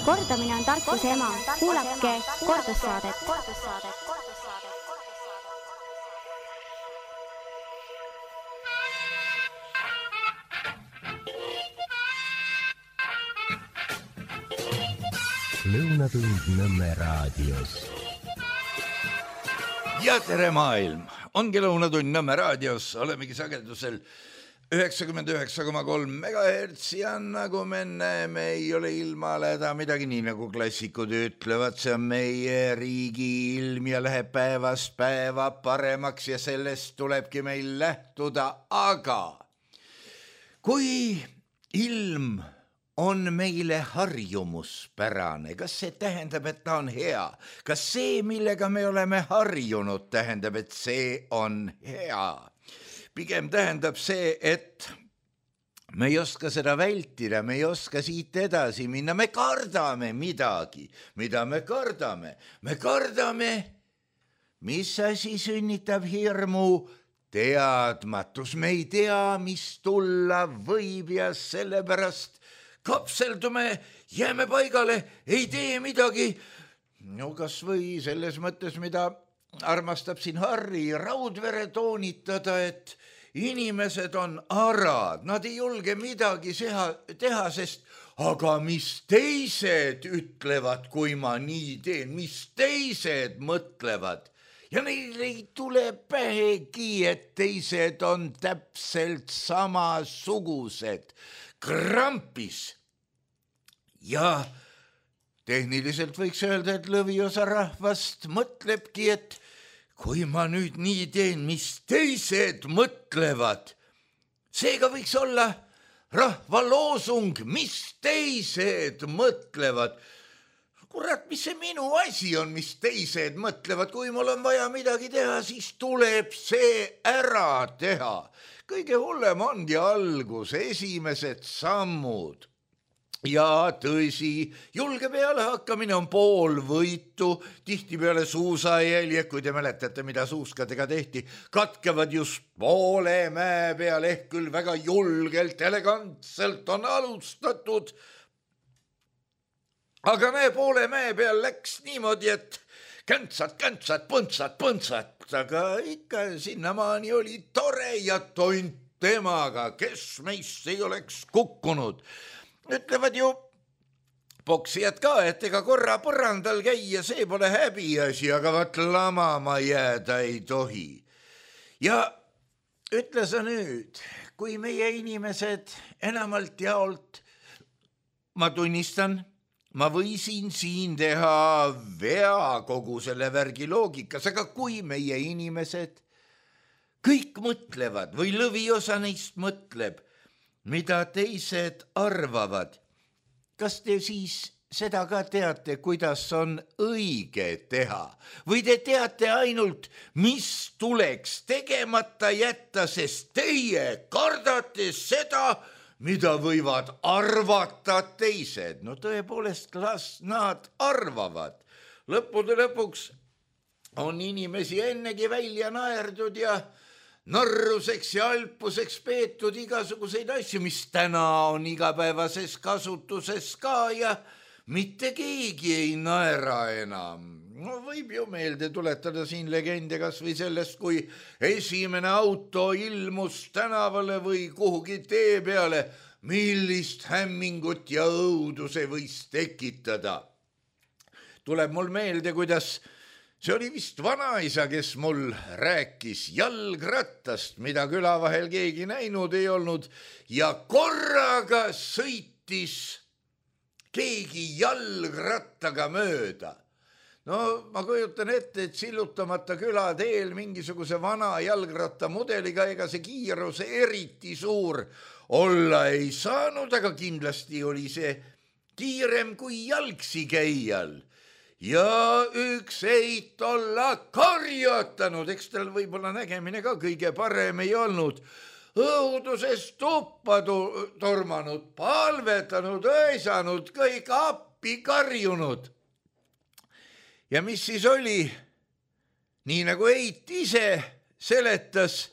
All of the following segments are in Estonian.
Kordamine on tarkuse ema. Kuulake kordussaadet. Lõunatund Nõmme raadios. Ja tere maailm! Ongi Lõunatund Nõmme raadios. Olemegi sagedusel 99,3 MHz ja nagu me näeme, ei ole ilmale häda midagi, nii nagu klassikud ütlevad, see on meie riigi ilm ja läheb päevast päeva paremaks ja sellest tulebki meil lähtuda, aga kui ilm on meile harjumuspärane, kas see tähendab, et ta on hea? Kas see, millega me oleme harjunud, tähendab, et see on hea? Pigem tähendab see, et me ei oska seda vältida, me ei oska siit edasi minna, me kardame midagi. Mida me kardame? Me kardame, mis asi sünnitab hirmu? Teadmatus. Me ei tea, mis tulla võib ja sellepärast kapseldume, jääme paigale, ei tee midagi. No kas või selles mõttes, mida armastab siin Harri Raudvere toonitada, et inimesed on arad, nad ei julge midagi teha, sest aga mis teised ütlevad, kui ma nii teen, mis teised mõtlevad. Ja neil ei tule pähegi, et teised on täpselt samasugused. Krampis. Ja tehniliselt võiks öelda, et lõviosa rahvast mõtlebki, et kui ma nüüd nii teen, mis teised mõtlevad. Seega võiks olla rahva loosung, mis teised mõtlevad. Kurat, mis see minu asi on, mis teised mõtlevad? Kui mul on vaja midagi teha, siis tuleb see ära teha. Kõige hullem ongi algus, esimesed sammud. Ja tõsi, julge peale hakkamine on pool võitu, tihti peale suusajälje, kui te mäletate, mida suuskadega tehti, katkevad just poole mäe peal, ehk küll väga julgelt, elegantselt on alustatud. Aga näe, poole mäe peal läks niimoodi, et käntsad, põntsad, aga ikka sinnamaani oli tore ja tont temaga, kes meist ei oleks kukkunud. Ütlevad ju poksijad ka, et ega korra põrandal käia, see pole häbiasi, aga vaat lamama jääda ei tohi. Ja ütle sa nüüd, kui meie inimesed enamalt jaolt, ma tunnistan, ma võisin siin teha vea kogu selle värgi loogikas, aga kui meie inimesed kõik mõtlevad või lõviosa neist mõtleb, mida teised arvavad, kas te siis seda ka teate, kuidas on õige teha? Või te teate ainult, mis tuleks tegemata jätta, sest teie kardate seda, mida võivad arvata teised? No tõepoolest, las nad arvavad. Lõppude lõpuks on inimesi ennegi välja naerdud ja narruseks ja alpuseks peetud igasuguseid asju, mis täna on igapäevases kasutuses ka ja mitte keegi ei naera enam. No võib ju meelde tuletada siin legende kas või sellest, kui esimene auto ilmus tänavale või kuhugi tee peale, millist hämmingut ja õudu see võis tekitada. Tuleb mul meelde, kuidas see oli vist vanaisa, kes mul rääkis jalgrattast, mida küla vahel keegi näinud ei olnud, ja korraga sõitis keegi jalgrattaga mööda. No ma kujutan ette, et sillutamata küla teel mingisuguse vana jalgrattamudeliga, ega see kiirus eriti suur olla ei saanud, aga kindlasti oli see kiirem kui jalgsi käijal. Ja üks eit olla karjatanud, eks tal võib-olla nägemine ka kõige parem ei olnud. Õudusest tuppa tormanud, palvetanud, öisanud, kõik appi karjunud. Ja mis siis oli? Nii nagu eit ise seletas,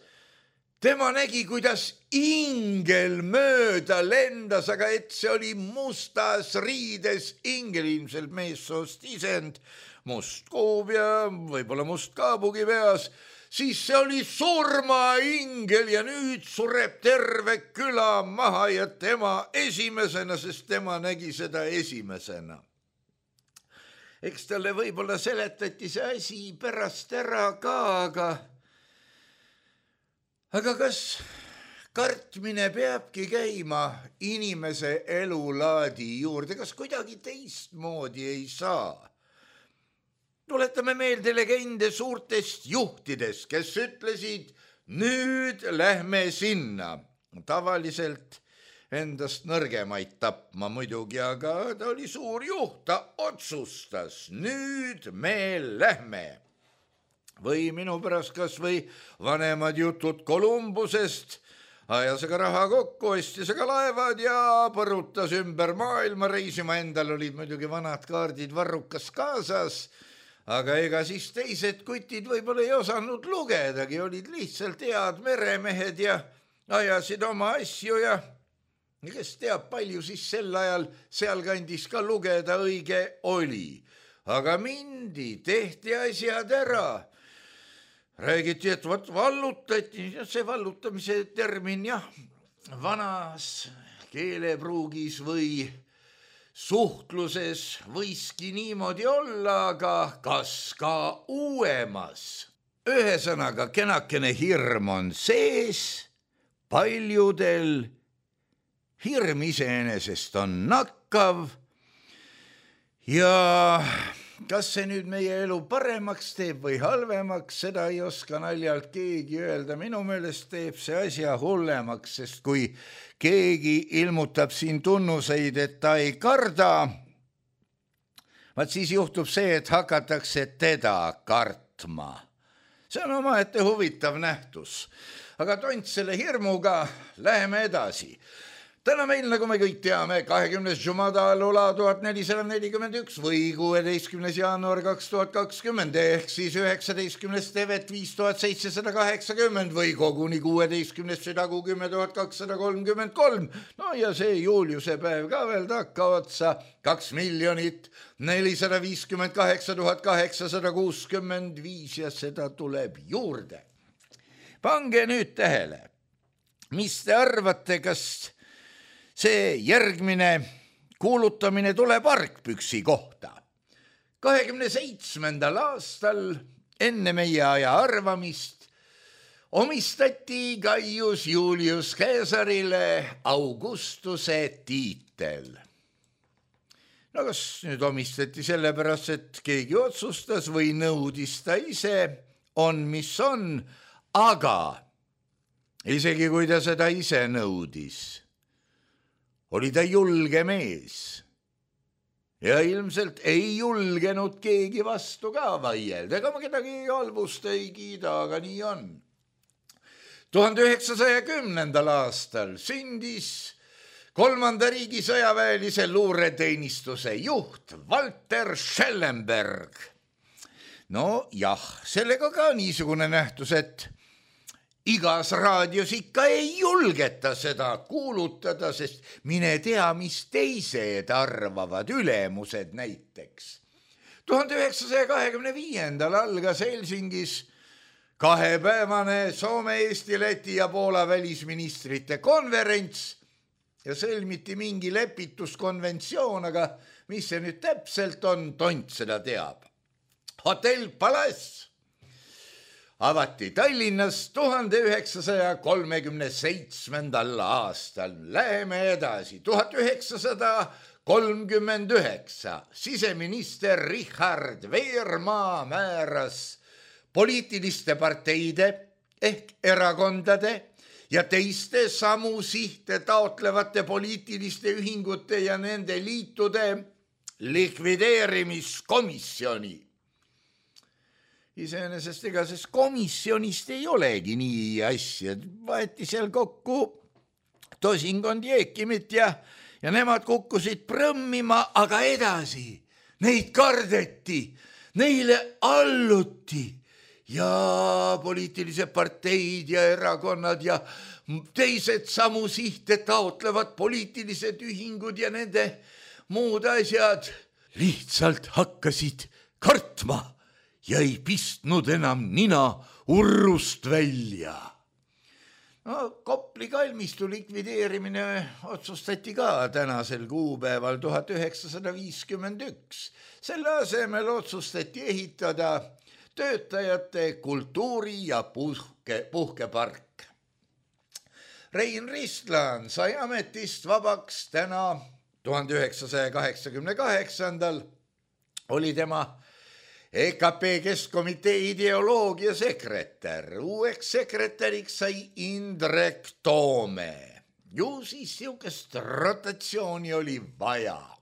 tema nägi, kuidas ingel mööda lendas, aga et see oli mustas riides ingel, ilmselt meessoost isend, must kuub ja võib-olla must kaabugi peas, siis see oli surmaingel ja nüüd sureb terve küla maha ja tema esimesena, sest tema nägi seda esimesena. Eks talle võib-olla seletati see asi pärast ära ka, aga kas kartmine peabki käima inimese elulaadi juurde, kas kuidagi teistmoodi ei saa? Tuletame meelde legende suurtest juhtidest, kes ütlesid, nüüd lähme sinna. Tavaliselt endast nõrgemaid tapma muidugi, aga ta oli suur juht, ta otsustas, nüüd me lähme. Või minu pärast kas või vanemad jutud Kolumbusest, ajas aga raha kokku, ostis aga laevad ja põrutas ümber maailma reisima, endal olid muidugi vanad kaardid varrukas kaasas, aga ega siis teised kutid võib-olla ei osanud lugedagi, olid lihtsalt head meremehed ja ajasid oma asju ja kes teab, palju siis sel ajal sealkandis ka lugeda õige oli. Aga mindi, tehti asjad ära. Räägiti, et vallutati, see vallutamise termin jah, vanas keelepruugis või suhtluses võiski niimoodi olla, aga kas ka uuemas? Ühesõnaga, kenakene hirm on sees, paljudel hirm iseenesest on nakkav ja kas see nüüd meie elu paremaks teeb või halvemaks, seda ei oska naljalt keegi öelda. Minu meelest teeb see asja hullemaks, sest kui keegi ilmutab siin tunnuseid, et ta ei karda, vaat siis juhtub see, et hakatakse teda kartma. See on omaette huvitav nähtus. Aga tont selle hirmuga, läheme edasi. Täna meil, nagu me kõik teame, 20. Jumada Lula 1441 või 16. jaanuar 2020 ehk siis 19. tevet 5780 või koguni 16. südakuu 10,233. No ja see Juliuse päev ka veel takka otsa 2 458 865 ja seda tuleb juurde. Pange nüüd tähele, mis te arvate, kas see järgmine kuulutamine tuleb argpüksi kohta. 27. aastal enne meie aja arvamist omistati Gaius Julius Caesarile Augustuse tiitel. No kas nüüd omistati sellepärast, et keegi otsustas või nõudis ta ise, on mis on, aga isegi kui ta seda ise nõudis, oli ta julge mees ja ilmselt ei julgenud keegi vastu ka vaielda, ega ma kedagi halvust ei kiida, aga nii on. 1910. aastal sündis 3. riigi sõjaväelise luureteenistuse juht Walter Schellenberg. No jah, sellega ka niisugune nähtus, et igas raadios ikka ei julgeta seda kuulutada, sest mine tea, mis teised arvavad, ülemused näiteks. 1925. algas Helsingis 2-päevane Soome, Eesti, Läti ja Poola välisministrite konverents ja sõlmiti mingi lepituskonventsioon, aga mis see nüüd täpselt on, tont seda teab. Hotell Palace avati Tallinnas 1937. aastal. Läheme edasi. 1939 siseminister Richard Veermaa määras poliitiliste parteide ehk erakondade ja teiste samu sihte taotlevate poliitiliste ühingute ja nende liitude likvideerimiskomisjoni. Iseenesest ega sest komisjonist ei olegi nii asja. Vaeti seal kokku tosinkond jeekimit ja nemad kukkusid prõmmima, aga edasi. Neid kardeti, neile alluti ja poliitilised parteid ja erakonnad ja teised samu sihte taotlevad poliitilised ühingud ja nende muud asjad lihtsalt hakkasid kartma ja ei pistnud enam nina urrust välja. No, Kopli kalmistu likvideerimine otsustati ka tänasel kuupäeval 1951. Selle asemel otsustati ehitada töötajate kultuuri- ja puhkepark. Rein Ristlan sai ametist vabaks täna 1988. Oli tema EKP Keskkomitee ideoloogia sekretär. Uueks sekretäriks sai Indrek Toome. Ju siis siukest rotatsiooni oli vaja.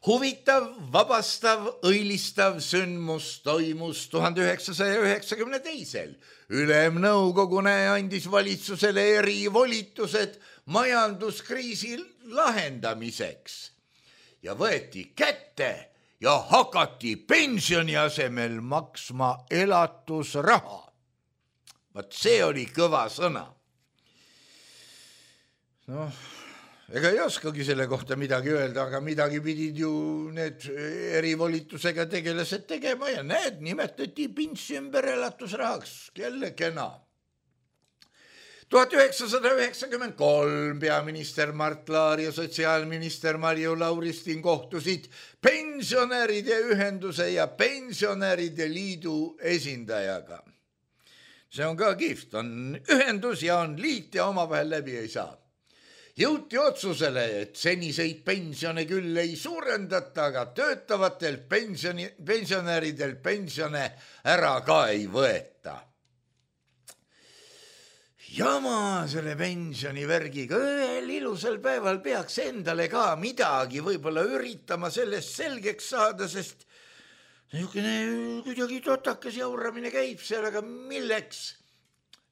Huvitav, vabastav, õilistav sündmus toimus 1992. Ülemnõukogune andis valitsusele erivolitused majanduskriisi lahendamiseks ja võeti kätte ja hakati pensioni asemel maksma elatusraha. Vaat see oli kõva sõna. Noh, ega ei oskagi selle kohta midagi öelda, aga midagi pidid ju need erivolitusega tegelased tegema ja need nimetati pints ümber elatusrahaks. Jälle kena. 1993 peaminister Mart Laar ja sotsiaalminister Marju Lauristin kohtusid pensionäride ühenduse ja pensionäride liidu esindajaga. See on ka kihvt, on ühendus ja on liit ja omavahel läbi ei saa. Jõuti otsusele, et seniseid pensione küll ei suurendata, aga töötavatel pensionäridel pensione ära ka ei võeta. Jama selle pensionivärgiga, ühel ilusal päeval peaks endale ka midagi võib-olla üritama sellest selgeks saada, sest niisugune kuidagi totakas jauramine käib seal, aga milleks?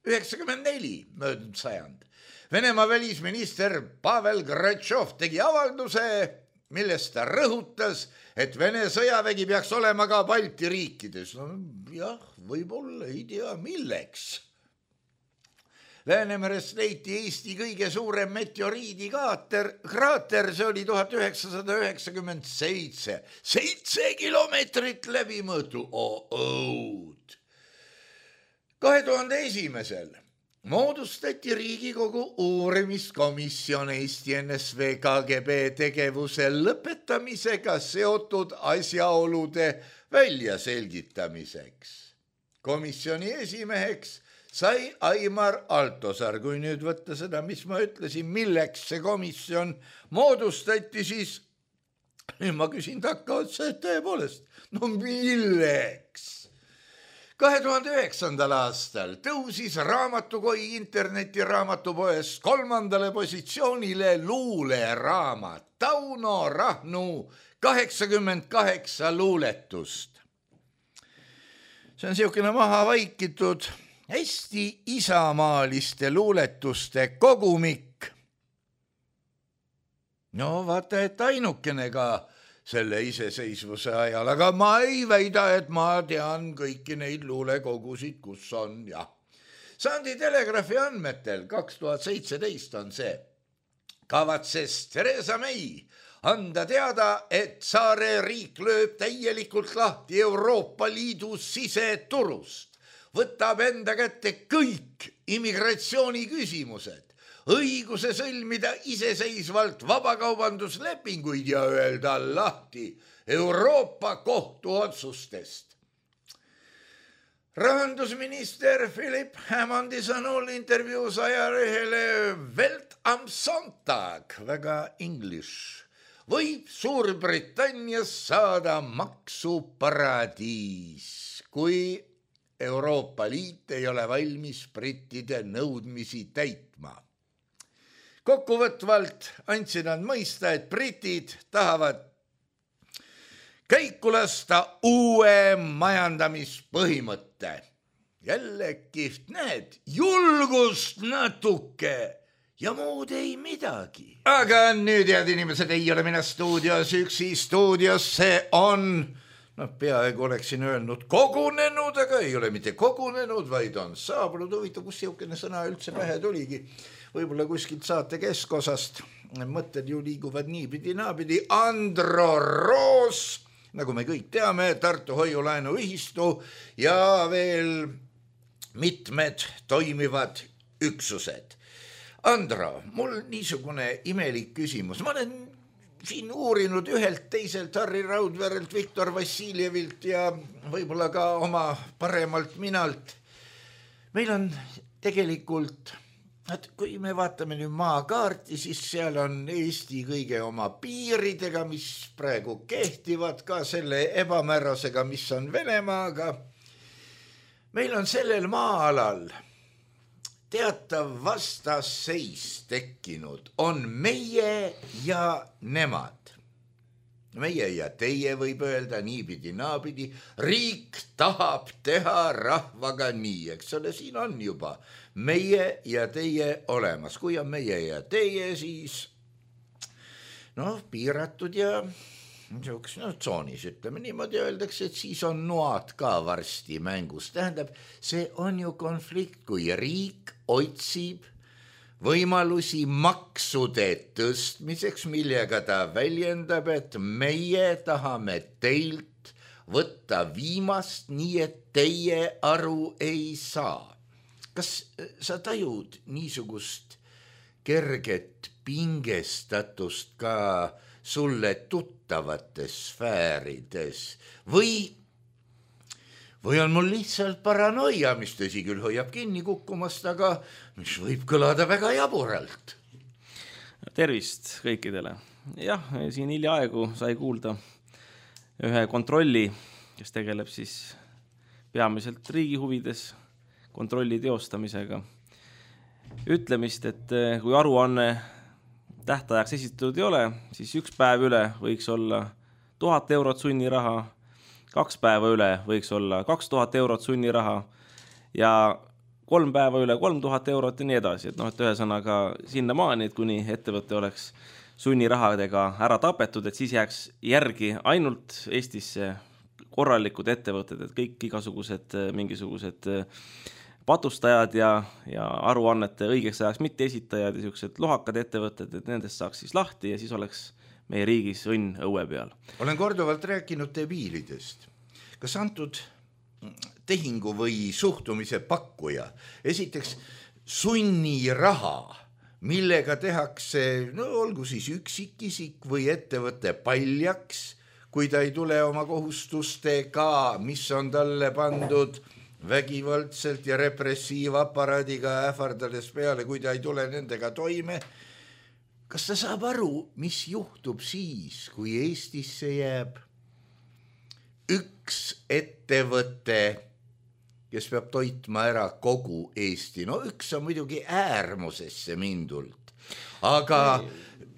94 möödunud sajand. Venemaa välisminister Pavel Gratšov tegi avalduse, millest ta rõhutas, et Vene sõjavägi peaks olema ka Balti riikides. No, jah, võib-olla ei tea milleks. Läänemerest leiti Eesti kõige suurem meteoriidikraater, see oli 1997, 7 kilomeetrit läbimõõtu. 2001. moodustati Riigikogu uurimiskomisjon Eesti NSV KGB tegevuse lõpetamisega seotud asjaolude väljaselgitamiseks. Komisjoni esimeheks sai Aimar Altosaar. Kui nüüd võtta seda, mis ma ütlesin, milleks see komisjon moodustati, siis ma küsin takka otsa, et tõepoolest, no milleks? 2009. aastal tõusis raamatukoi internetiraamatupoes 3. positsioonile luuleraamat Tauno Rahnu 88 luuletust. See on siukene maha vaikitud hästi isamaaliste luuletuste kogumik. No vaata, et ainukene ka selle iseseisvuse ajal, aga ma ei väida, et ma tean kõiki neid luulekogusid, kus on, jah. Sandi Telegraafi andmetel 2017 on see. Kavatses Theresa May anda teada, et saare riik lööb täielikult lahti Euroopa Liidu siseturust. Võtab enda kätte kõik immigratsiooni küsimused, õiguse sõlmida iseseisvalt vabakaubanduslepinguid ja öelda lahti Euroopa kohtu otsustest. Rahandusminister Philip Hammondi sõnul intervjuus ajalehele Welt am Sonntag, väga English, võib Suurbritannias saada maksuparadiis, kui Euroopa Liit ei ole valmis brittide nõudmisi täitma. Kokkuvõtvalt andsid nad mõista, et britid tahavad käiku lasta uue majandamispõhimõtte. Jälle kihvt, näed, julgust natuke ja muud ei midagi. Aga nüüd, head inimesed, ei ole mina stuudios üksi. Stuudiosse on peaaegu oleksin öelnud kogunenud, aga ei ole mitte kogunenud, vaid on saabunud. Huvitav, kus siukene sõna üldse pähe tuligi. Võib-olla kuskilt saate keskosast. Mõtted ju liiguvad niipidi naapidi. Andro Roos, nagu me kõik teame, Tartu Hoiulaenu Ühistu ja veel mitmed toimivad üksused. Andro, mul niisugune imelik küsimus. Ma olen siin uurinud ühelt, teiselt, Harri Raudverelt, Viktor Vassiljevilt ja võib-olla ka oma paremalt minalt. Meil on tegelikult, et kui me vaatame nüüd maakaarti, siis seal on Eesti kõige oma piiridega, mis praegu kehtivad, ka selle ebamäärasega, mis on Venemaaga. Meil on sellel maa-alal teatav vastasseis tekkinud, on meie ja nemad. Meie ja teie võib öelda niipidi naapidi, riik tahab teha rahvaga nii, eks ole, siin on juba meie ja teie olemas. Kui on meie ja teie, siis piiratud ja tsoonis, ütleme niimoodi, öeldakse, et siis on noad ka varsti mängus. Tähendab, see on ju konflikt, kui riik otsib võimalusi maksude tõstmiseks, millega ta väljendab, et meie tahame teilt võtta viimast, nii et teie aru ei saa. Kas sa tajud niisugust kerget pingestatust ka sulle tuttavates sfäärides või on mul lihtsalt paranoia, mis tõsi küll hoiab kinni kukkumast, aga mis võib kõlada väga jaburalt? Tervist kõikidele. Jah, siin hiljaaegu sai kuulda ühe kontrolli, kes tegeleb siis peamiselt riigi huvides kontrolli teostamisega. Ütlemist, et kui aruanne tähtajaks esitatud ei ole, siis 1 päev üle võiks olla 1000 eurot sunniraha, 2 päeva üle võiks olla 2000 eurot sunniraha ja 3 päeva üle 3000 eurot ja nii edasi. Et ühesõnaga sinna maani, et kuni ettevõte oleks sunnirahadega ära tapetud, et siis jääks järgi ainult Eestisse korralikud ettevõtted, et kõik igasugused mingisugused patustajad ja aruannete õigeks ajaks mitte esitajad ja sellised lohakad ettevõtted, et nendest saaks siis lahti ja siis oleks meie riigis õnn õue peal. Olen korduvalt rääkinud debiilidest. Kas antud tehingu või suhtumise pakkuja esiteks sunniraha, millega tehakse, olgu siis üksikisik või ettevõte paljaks, kui ta ei tule oma kohustustega, mis on talle pandud vägivaldselt ja repressiivaparaadiga ähvardades peale, kui ta ei tule nendega toime. Kas ta saab aru, mis juhtub siis, kui Eestisse jääb üks ettevõte, kes peab toitma ära kogu Eesti? Üks on muidugi äärmusesse mindult, aga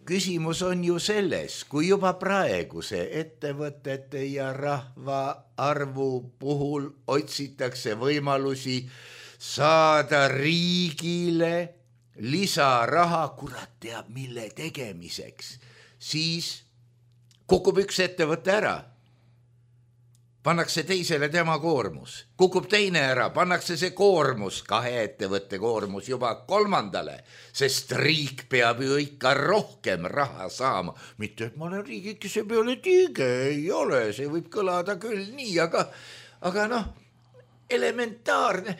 küsimus on ju selles, kui juba praeguse ettevõtete ja rahva arvu puhul otsitakse võimalusi saada riigile lisaraha, kurat teab mille tegemiseks, siis kukub üks ettevõte ära. Pannakse teisele tema koormus, kukub teine ära, pannakse see koormus, 2 ettevõtte koormus juba 3, sest riik peab ju ikka rohkem raha saama. Mitte, et ma olen riigikese peale tiige, ei ole, see võib kõlada küll nii, aga elementaarne.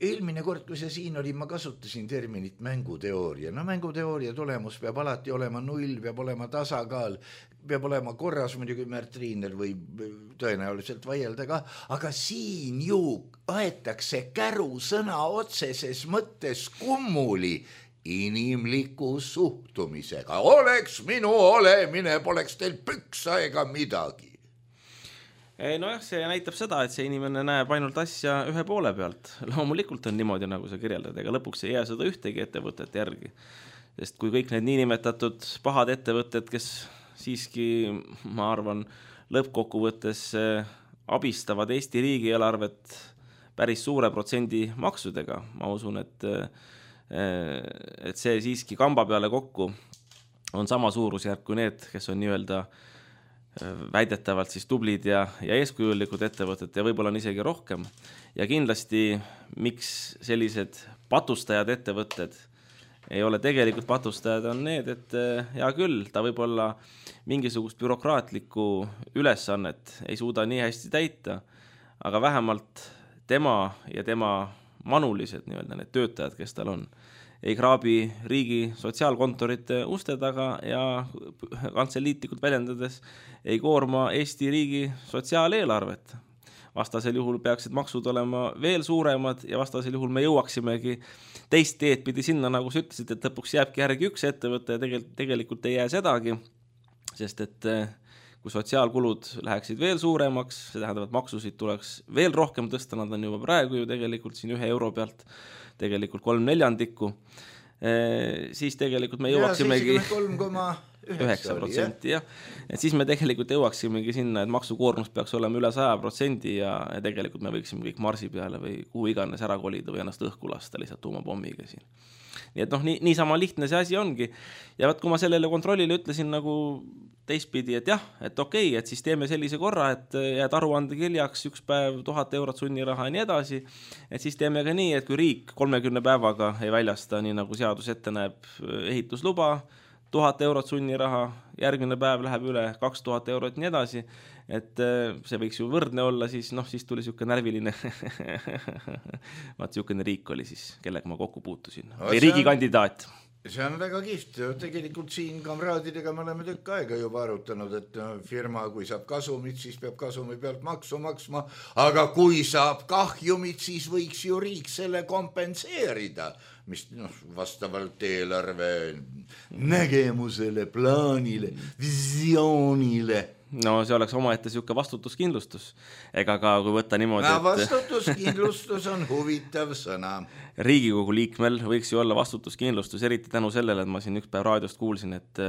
Eelmine kord, kui see siin oli, ma kasutasin terminit mänguteooria. Mänguteooria tulemus peab alati olema 0, peab olema tasakaal, peab olema korras, muidugi Märt Riiner või tõenäoliselt vaielda ka, aga siin ju aetakse käru sõna otseses mõttes kummuli inimliku suhtumisega. Oleks minu olemine, poleks teil püksa ega midagi. See näitab seda, et see inimene näeb ainult asja ühe poole pealt. Loomulikult on niimoodi, nagu sa kirjeldad, ega lõpuks ei jää seda ühtegi ettevõtet järgi. Sest kui kõik need niinimetatud pahad ettevõtted, kes siiski, ma arvan, lõppkokkuvõttes abistavad Eesti riigieelarvet päris suure protsendi maksudega. Ma usun, et see siiski kamba peale kokku on sama suurusjärk kui need, kes on nii-öelda väidetavalt siis tublid ja eeskujulikud ettevõtted ja võib-olla on isegi rohkem. Ja kindlasti, miks sellised patustajad ettevõtted ei ole tegelikult patustajad, on need, et hea küll, ta võib-olla mingisugust bürokraatlikku ülesannet ei suuda nii hästi täita, aga vähemalt tema ja tema manulised need töötajad, kes tal on, ei kraabi riigi sotsiaalkontorite uste taga ja kantseliitlikult väljendades ei koorma Eesti riigi sotsiaaleelarvet. Vastasel juhul peaksid maksud olema veel suuremad ja vastasel juhul me jõuaksimegi teist teed pidi sinna, nagu sa ütlesid, et lõpuks jääbki järgi üks ettevõte ja tegelikult ei jää sedagi, sest et kui sotsiaalkulud läheksid veel suuremaks, see tähendab, et maksusid tuleks veel rohkem tõsta, nad on juba praegu ju tegelikult siin 1 euro pealt tegelikult 3/4, siis tegelikult me jõuaksimegi 9%, jah. Et siis me tegelikult jõuaksimegi sinna, et maksukoormus peaks olema üle 100% ja tegelikult me võiksime kõik Marsi peale või kuhu iganes ära kolida või ennast õhku lasta lihtsalt tuumapommiga siin. Nii et niisama lihtne see asi ongi. Ja kui ma sellele kontrollile ütlesin nagu teistpidi, et jah, et okei, et siis teeme sellise korra, et jääd aruandekirjaks 1 päev 1000 eurot sunniraha ja nii edasi, et siis teeme ka nii, et kui riik 30 päevaga ei väljasta, nii nagu seadus ette näeb, ehitusluba, 1000 eurot sunniraha, järgmine päev läheb üle 2000 eurot ja nii edasi, et see võiks ju võrdne olla, siis tuli siuke närviline vaat siukene riik oli siis, kellega ma kokku puutusin või riigikandidaat. See on väga kihvt, tegelikult siin kamraadidega me oleme tükk aega juba arutanud, et firma, kui saab kasumit, siis peab kasumi pealt maksu maksma, aga kui saab kahjumit, siis võiks ju riik selle kompenseerida, mis vastavalt eelarve nägemusele, plaanile, visioonile. No see oleks omaette siuke vastutuskindlustus. Ega ka kui võtta niimoodi, et vastutuskindlustus on huvitav sõna. Riigikogu liikmel võiks ju olla vastutuskindlustus, eriti tänu sellele, et ma siin üks päev raadiost kuulsin, et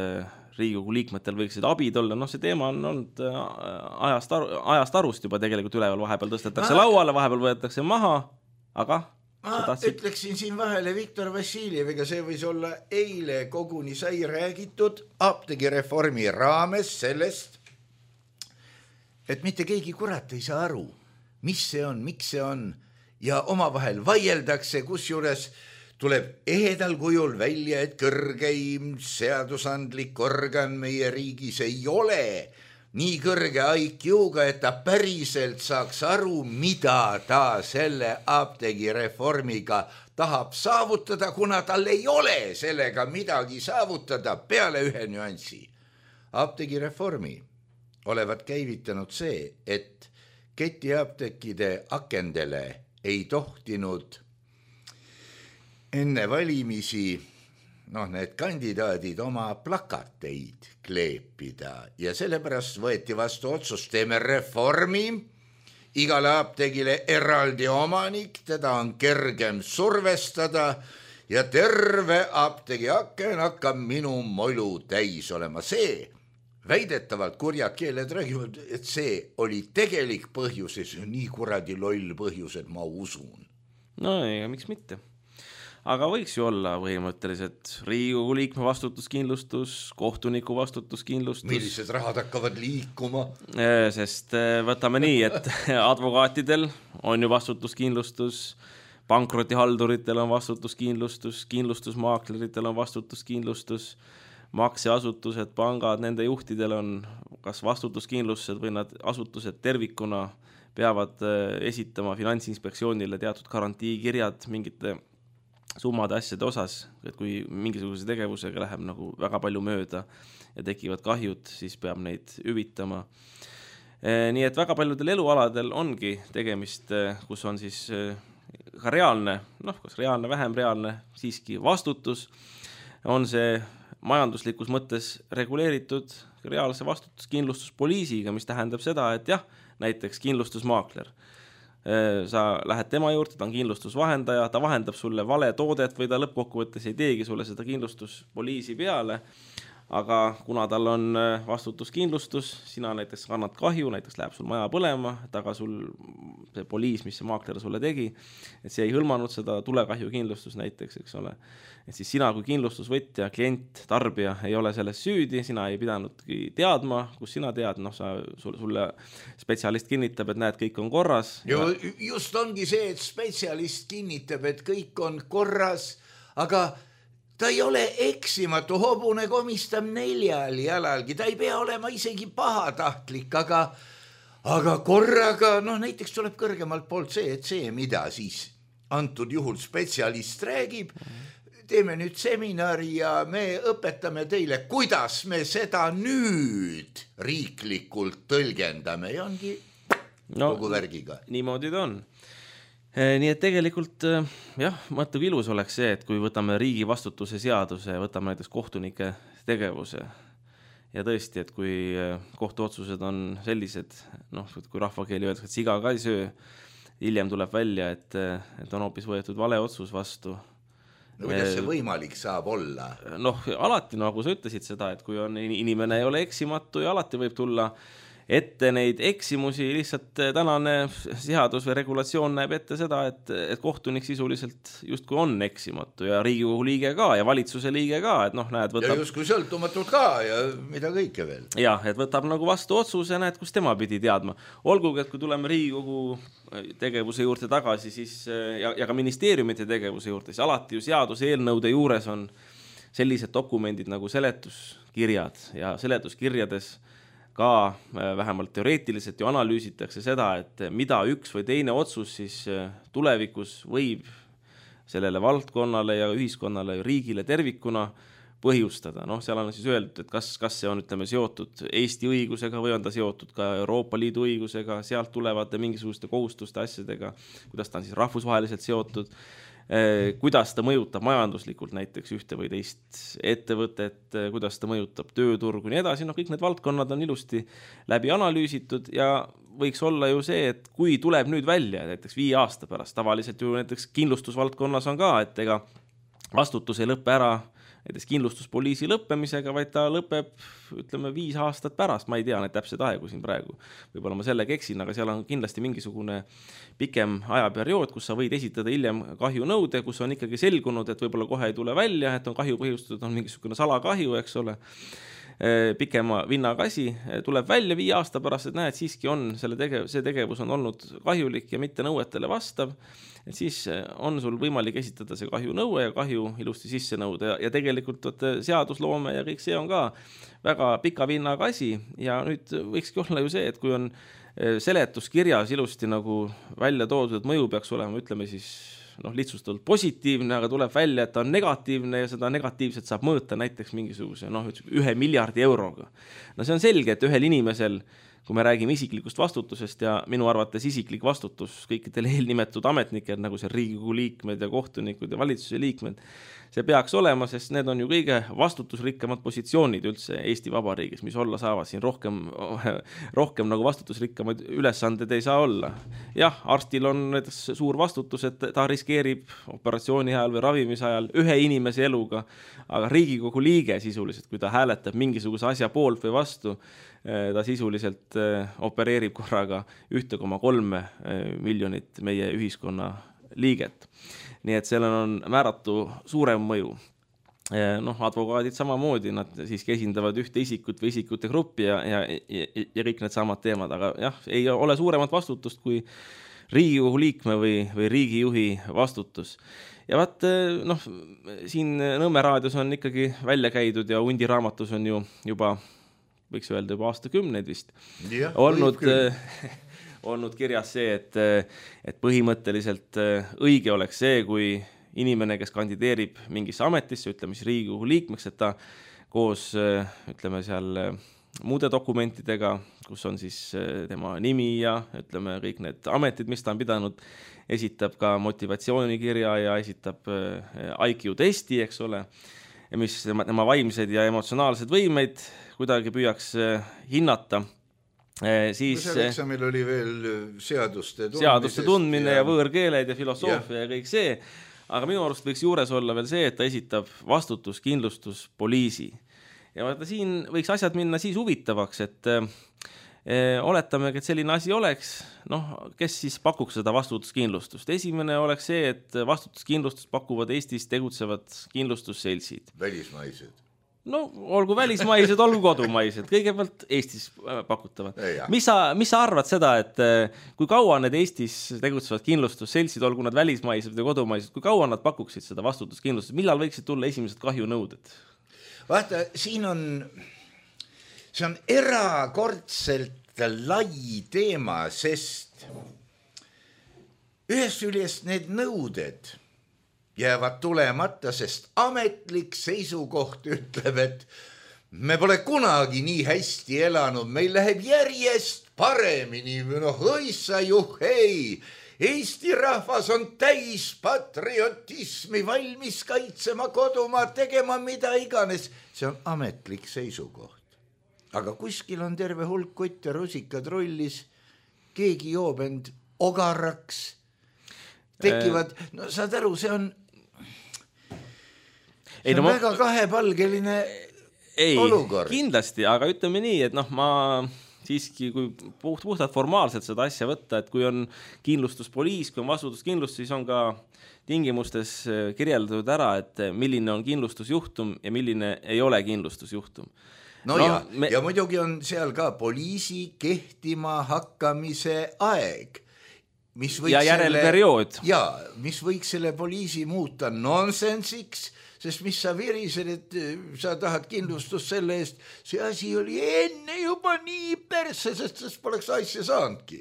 Riigikogu liikmetel võiksid abid olla. See teema on olnud ajast arust juba tegelikult üleval, vahepeal tõstetakse lauale, vahepeal võetakse maha, aga ma ütleksin siin vahele Viktor Vassiljeviga, see võis olla eile koguni sai räägitud apteegireformi raames sellest, et mitte keegi kurat ei saa aru, mis see on, miks see on ja omavahel vaieldakse, kusjuures tuleb ehedal kujul välja, et kõrgeim seadusandlik organ meie riigis ei ole nii kõrge IQ-ga, et ta päriselt saaks aru, mida ta selle apteegireformiga tahab saavutada, kuna tal ei ole sellega midagi saavutada peale ühe nüansi. Apteegireformi olevat käivitanud see, et ketiapteekide akendele ei tohtinud enne valimisi need kandidaadid oma plakateid kleepida ja sellepärast võeti vastu otsus, teeme reformi, igale apteegile eraldi omanik, teda on kergem survestada ja terve apteegi aken hakkab minu molu täis olema. See väidetavalt kurjad keeled räägivad, et see oli tegelik põhjus ja see on nii kuradi loll põhjus, et ma usun. No ega miks mitte. Aga võiks ju olla põhimõtteliselt Riigikogu liikme vastutuskindlustus, kohtuniku vastutuskindlustus. Millised rahad hakkavad liikuma? Sest võtame nii, et advokaatidel on ju vastutuskindlustus, pankrotihalduritel on vastutuskindlustus, kindlustusmaakleritel on vastutuskindlustus, makseasutused, pangad, nende juhtidel on kas vastutuskindlustused või nad asutused tervikuna peavad esitama Finantsinspektsioonile teatud garantiikirjad mingite summade asjade osas, et kui mingisuguse tegevusega läheb nagu väga palju mööda ja tekivad kahjud, siis peab neid hüvitama. Nii et väga paljudel elualadel ongi tegemist, kus on siis ka reaalne, kas reaalne, vähem reaalne, siiski vastutus, on see majanduslikus mõttes reguleeritud reaalse vastutuskindlustuspoliisiga, mis tähendab seda, et jah, näiteks kindlustusmaakler. Sa lähed tema juurde, ta on kindlustusvahendaja, ta vahendab sulle vale toodet või ta lõppkokkuvõttes ei teegi sulle seda kindlustuspoliisi peale, aga kuna tal on vastutuskindlustus, sina näiteks kannad kahju, näiteks läheb sul maja põlema, taga sul see poliis, mis see maakler sulle tegi, et see ei hõlmanud seda tulekahju kindlustus näiteks, eks ole. Et siis sina kui kindlustusvõtja, klient, tarbija ei ole selles süüdi, sina ei pidanudki teadma, kus sina tead, sulle spetsialist kinnitab, et näed, kõik on korras. Just ongi see, et spetsialist kinnitab, et kõik on korras, aga ta ei ole eksimatu, hobune komistab 4 jalalgi, ta ei pea olema isegi pahatahtlik, aga korraga, näiteks tuleb kõrgemalt poolt see, et see, mida siis antud juhul spetsialist räägib, teeme nüüd seminari ja me õpetame teile, kuidas me seda nüüd riiklikult tõlgendame ja ongi kogu värgiga. Niimoodi ta on. Nii et tegelikult mõttev ilus oleks see, et kui võtame riigi vastutuse seaduse, võtame näiteks kohtunike tegevuse ja tõesti, et kui kohtuotsused on sellised, kui rahvakeeli öeldakse, et siga ka ei söö, hiljem tuleb välja, et on hoopis võetud vale otsus vastu. Kuidas see võimalik saab olla? Alati, nagu sa ütlesid seda, et kui on inimene ei ole eksimatu ja alati võib tulla ette neid eksimusi, lihtsalt tänane seadus või regulatsioon näeb ette seda, et kohtunik sisuliselt justkui on eksimatu ja Riigikogu liige ka ja valitsuse liige ka, et näed, võtab... Ja justkui sõltumatud ka ja mida kõike veel. Jah, et võtab nagu vastu otsuse, näed, kus tema pidi teadma. Olgugi, et kui tuleme Riigikogu tegevuse juurde tagasi, siis, ja ka ministeeriumite tegevuse juurde, siis alati ju seaduse eelnõude juures on sellised dokumendid nagu seletuskirjad ja seletuskirjades ka vähemalt teoreetiliselt ju analüüsitakse seda, et mida üks või teine otsus siis tulevikus võib sellele valdkonnale ja ühiskonnale ja riigile tervikuna põhjustada. Seal on siis öeldud, et kas see on, seotud Eesti õigusega või on ta seotud ka Euroopa Liidu õigusega, sealt tulevate mingisuguste kohustuste asjadega, kuidas ta on siis rahvusvaheliselt seotud, kuidas ta mõjutab majanduslikult näiteks ühte või teist ettevõtet, kuidas ta mõjutab tööturgu ja nii edasi, kõik need valdkonnad on ilusti läbi analüüsitud ja võiks olla ju see, et kui tuleb nüüd välja näiteks 5 aasta pärast, tavaliselt ju näiteks kindlustusvaldkonnas on ka, et ega vastutus ei lõppe ära näiteks kindlustuspoliisi lõppemisega, vaid ta lõpeb, 5 aastat pärast, ma ei tea need täpsed aegu siin praegu, võib-olla ma sellega eksin, aga seal on kindlasti mingisugune pikem ajaperiood, kus sa võid esitada hiljem kahjunõude, kus on ikkagi selgunud, et võib-olla kohe ei tule välja, et on kahju põhjustatud, on mingisugune salakahju, eks ole, pikema vinnaga asi, tuleb välja 5 aasta pärast, et näed, siiski on see tegevus on olnud kahjulik ja mitte nõuetele vastav, et siis on sul võimalik esitada see kahjunõue ja kahju ilusti sisse nõuda ja tegelikult seadusloome ja kõik see on ka väga pika vinnaga asi ja nüüd võikski olla ju see, et kui on seletuskirjas ilusti nagu välja toodud, et mõju peaks olema, ütleme siis lihtsustatult positiivne, aga tuleb välja, et ta on negatiivne ja seda negatiivset saab mõõta näiteks mingisuguse 1 miljardi euroga. See on selge, et ühel inimesel, kui me räägime isiklikust vastutusest ja minu arvates isiklik vastutus kõikidel eelnimetud ametnikel, nagu see Riigikogu liikmed ja kohtunikud ja valitsuse liikmed, see peaks olema, sest need on ju kõige vastutusrikkamad positsioonid üldse Eesti Vabariigis, mis olla saavad siin rohkem nagu vastutusrikkamaid ülesanded ei saa olla. Jah, arstil on näiteks suur vastutus, et ta riskeerib operatsiooni ajal või ravimise ajal 1 inimese eluga, aga Riigikogu liige sisuliselt, kui ta hääletab mingisuguse asja poolt või vastu, ta sisuliselt opereerib korraga 1,3 miljonit meie ühiskonna liiget. Nii et sellel on määratu suurem mõju. Advokaadid samamoodi, nad siiski esindavad ühte isikut või isikute gruppi ja kõik need samad teemad, aga jah, ei ole suuremat vastutust kui Riigikogu liikme või riigijuhi vastutus. Ja vaat, siin Nõmme raadios on ikkagi välja käidud ja Hundi raamatus on ju juba, võiks öelda juba aastakümneid vist, olnud kirjas see, et põhimõtteliselt õige oleks see, kui inimene, kes kandideerib mingisse ametisse, ütleme siis Riigikogu liikmeks, et ta koos, ütleme seal muude dokumentidega, kus on siis tema nimi ja ütleme kõik need ametid, mis ta on pidanud, esitab ka motivatsioonikirja ja esitab IQ testi, eks ole, mis tema vaimsed ja emotsionaalsed võimeid kuidagi püüaks hinnata. Seal eksamil oli veel seaduste tundmine ja võõrkeeled ja filosoofia ja kõik see, aga minu arust võiks juures olla veel see, et ta esitab vastutuskindlustuspoliisi ja vaata, siin võiks asjad minna siis huvitavaks, et oletamegi, et selline asi oleks, kes siis pakuks seda vastutuskindlustust. Esimene oleks see, et vastutuskindlustust pakuvad Eestis tegutsevad kindlustusseltsid. Välismaised. Olgu välismaised, olgu kodumaised, kõigepealt Eestis pakutavad. Mis sa arvad seda, et kui kaua need Eestis tegutsevad kindlustusseltsid, olgu nad välismaised või kodumaised, kui kaua nad pakuksid seda vastutuskindlustust, millal võiksid tulla esimesed kahjunõuded? Vaata, see on erakordselt lai teema, sest ühest küljest need nõuded jäävad tulemata, sest ametlik seisukoht ütleb, et me pole kunagi nii hästi elanud, meil läheb järjest paremini, õissa juhhei, Eesti rahvas on täis patriotismi, valmis kaitsema kodumaad, tegema mida iganes. See on ametlik seisukoht. Aga kuskil on terve hulk kutt ja rusikad rollis, keegi joob end ogaraks, tekivad, saad aru, see on väga kahepalgeline olukord. Kindlasti, aga ütleme nii, et ma siiski, kui puhtalt formaalselt seda asja võtta, et kui on kindlustuspoliis, kui on vastutuskindlustus, siis on ka tingimustes kirjeldatud ära, et milline on kindlustusjuhtum ja milline ei ole kindlustusjuhtum. Ja muidugi on seal ka poliisi kehtima hakkamise aeg. Ja järelperiood. Mis võiks selle poliisi muuta nonsensiks, sest mis sa virised, et sa tahad kindlustust selle eest, see asi oli enne juba nii perse, sest poleks asja saanudki.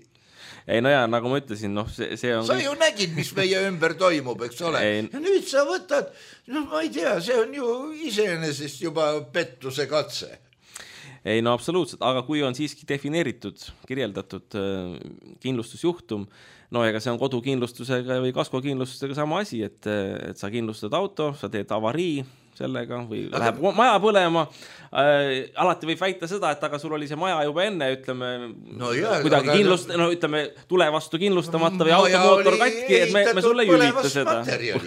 Ei, nagu ma ütlesin, see on... Sa ju nägid, mis meie ümber toimub, eks ole. Ja nüüd sa võtad, ma ei tea, see on ju iseenesest juba pettuse katse. Ei, absoluutselt, aga kui on siiski defineeritud, kirjeldatud kindlustusjuhtum, ega see on kodukindlustusega või kaskokindlustusega sama asi, et sa kindlustad auto, sa teed avarii sellega või läheb maja põlema. Alati võib väita seda, et aga sul oli see maja juba enne, ütleme, kuidagi ütleme, tule vastu kindlustamata või automootor katki, et me sulle ei hüvita seda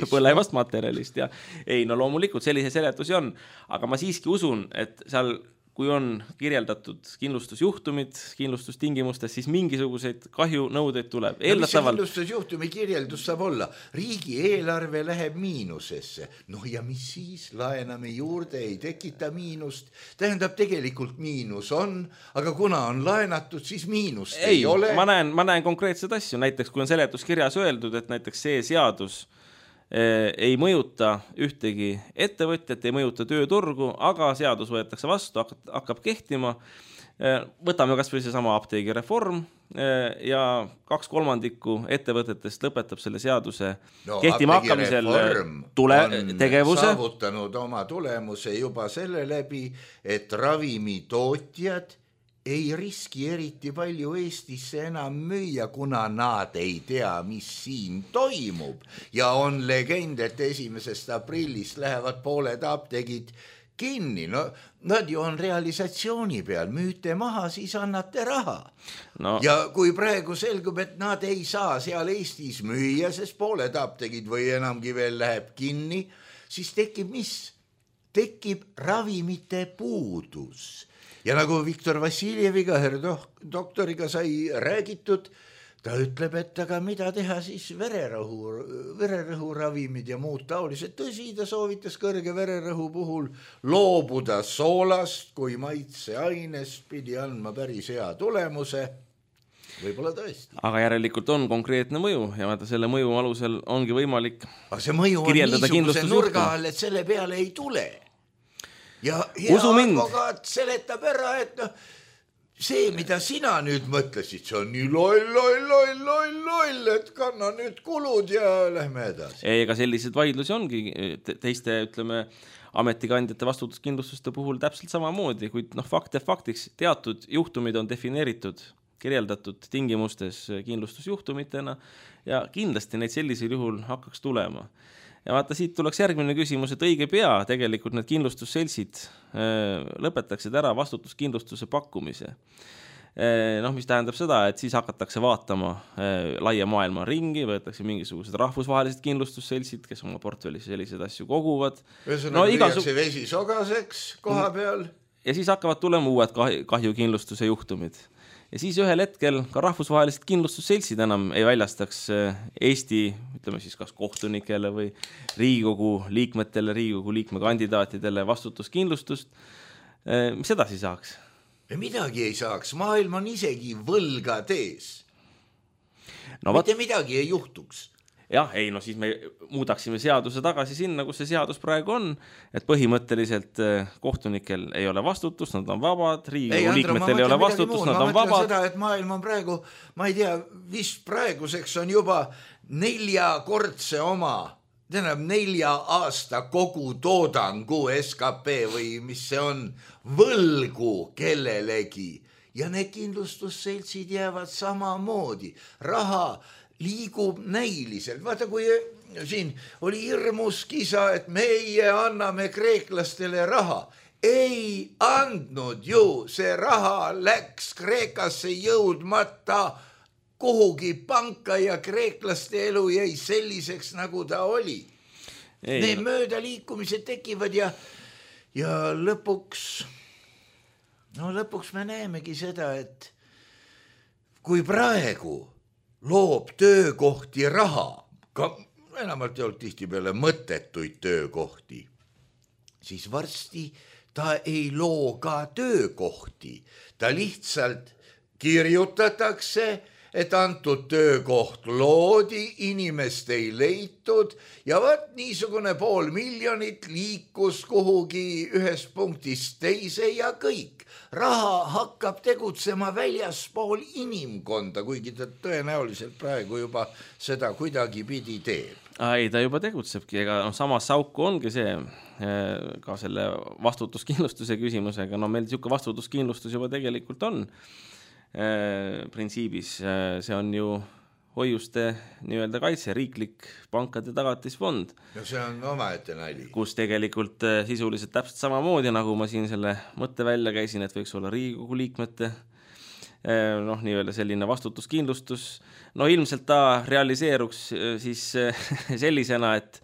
põlevast materjalist. Ja. Ei, loomulikult sellise seletusi on, aga ma siiski usun, et seal kui on kirjeldatud kindlustusjuhtumid kindlustustingimustes, siis mingisuguseid kahjunõudeid tuleb. Mis see kindlustusjuhtumi kirjeldus saab olla? Riigieelarve läheb miinusesse. Ja mis siis? Laename juurde, ei tekita miinust. Tähendab, tegelikult miinus on, aga kuna on laenatud, siis miinust ei ole. Ma näen konkreetseid asju. Näiteks, kui on seletuskirjas öeldud, et näiteks see seadus ei mõjuta ühtegi ettevõtjat, ei mõjuta tööturgu, aga seadus võetakse vastu, hakkab kehtima. Võtame kas või see sama apteegireform ja 2/3 ettevõtetest lõpetab selle seaduse kehtima hakkamisel tegevuse. On saavutanud oma tulemuse juba selle läbi, et ravimitootjad ei riski eriti palju Eestisse enam müüa, kuna nad ei tea, mis siin toimub. Ja on legend, et 1. aprillist lähevad pooled apteegid kinni. Nad ju on realisatsiooni peal, müüte maha, siis annate raha. Ja kui praegu selgub, et nad ei saa seal Eestis müüa, sest pooled apteegid või enamgi veel läheb kinni, siis tekib mis? Tekib ravimite puudus. Ja nagu Viktor Vassiljeviga, doktoriga sai räägitud, ta ütleb, et aga mida teha siis vererõhu ravimid ja muud taolised. Tõsi, ta soovitas kõrge vererõhu puhul loobuda soolast, kui maitseainest pidi andma päris hea tulemuse. Võib-olla tõesti. Aga järelikult on konkreetne mõju ja selle mõju alusel ongi võimalik kirjeldada kindlustusjuhtum. Aga see mõju on niisuguse nurga all, et selle peale ei tule. Ja hea advokaat seletab ära, et see, mida sina nüüd mõtlesid, see on nii loll, et kanna nüüd kulud ja lähme edasi. Ega sellised vaidlusi ongi teiste, ütleme, ametikandjate vastutuskindlustuste puhul täpselt samamoodi, kuid fakt ja faktiks teatud juhtumid on defineeritud, kirjeldatud tingimustes kindlustusjuhtumitena ja kindlasti neid sellisel juhul hakkaks tulema. Ja vaata, siit tuleks järgmine küsimus, et õige pea tegelikult need kindlustusseltsid lõpetaksid ära vastutuskindlustuse pakkumise. mis tähendab seda, et siis hakatakse vaatama laia maailma ringi, võetakse mingisugused rahvusvahelised kindlustusseltsid, kes oma portfellis selliseid asju koguvad. Ühesõnaga vesi sogaseks koha peal. Ja siis hakkavad tulema uued kahjukindlustuse juhtumid. Ja siis ühel hetkel ka rahvusvahelised kindlustusseltsid enam ei väljastaks Eesti, ütleme siis kas kohtunikele või Riigikogu liikmetele, Riigikogu liikme kandidaatidele vastutuskindlustust. Mis edasi saaks? Midagi ei saaks, maailm on isegi võlgad ees. Mitte midagi ei juhtuks. Jah, siis me muudaksime seaduse tagasi sinna, kus see seadus praegu on, et põhimõtteliselt kohtunikel ei ole vastutust, nad on vabad, Riigikogu liikmetel ei ole vastutust, nad on vabad. Ma mõtlen seda, et maailm on praegu, ma ei tea, vist praeguseks on juba 4-kordse oma, 4 aasta kogu toodangu SKP või mis see on, võlgu kellelegi. Ja need kindlustusseltsid jäävad samamoodi. Raha liigub näiliselt. Vaata, kui siin oli hirmus kisa, et meie anname kreeklastele raha. Ei andnud ju, see raha läks Kreekasse jõudmata kuhugi panka ja kreeklaste elu jäi selliseks, nagu ta oli. Need möödaliikumised tekivad ja lõpuks me näemegi seda, et kui praegu loob töökohti raha, ka enamalt ei olnud tihti peale mõttetuid töökohti, siis varsti ta ei loo ka töökohti. Ta lihtsalt kirjutatakse, et antud töökoht loodi, inimest ei leitud ja niisugune 500 000 liikus kuhugi ühest punktist teise ja kõik. Raha hakkab tegutsema väljaspool inimkonda, kuigi ta tõenäoliselt praegu juba seda kuidagi pidi teeb. Ei, ta juba tegutsebki, ega samas sauku ongi see ka selle vastutuskindlustuse küsimusega. Meil siuke vastutuskindlustus juba tegelikult on. Printsiibis see on ju hoiuste nii-öelda kaitse, riiklik pankade tagatisfond. Ja see on omaette nali. Kus tegelikult sisuliselt täpselt samamoodi, nagu ma siin selle mõtte välja käisin, et võiks olla Riigikogu liikmete nii-öelda selline vastutuskindlustus. Ilmselt ta realiseeruks siis sellisena, et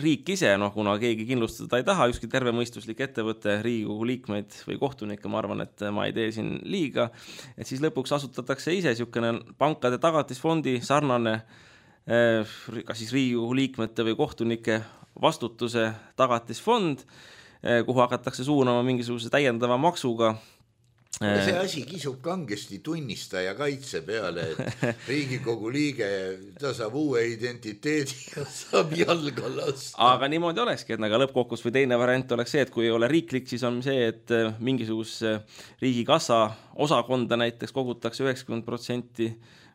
riik ise, kuna keegi kindlustada ei taha, ükski tervemõistuslik ettevõte, Riigikogu liikmeid või kohtunikke, ma arvan, et ma ei tee siin liiga, et siis lõpuks asutatakse ise siukene pankade tagatisfondi sarnane, kas siis Riigikogu liikmete või kohtunike vastutuse tagatisfond, kuhu hakatakse suunama mingisuguse täiendava maksuga. See asi kisub kangesti tunnistaja kaitse peale, et Riigikogu liige, ta saab uue identiteedi ja saab jalga lasta. Aga niimoodi olekski, et lõppkokkus või teine variant oleks see, et kui ei ole riiklik, siis on see, et mingisuguse riigikassa osakonda näiteks kogutakse 90%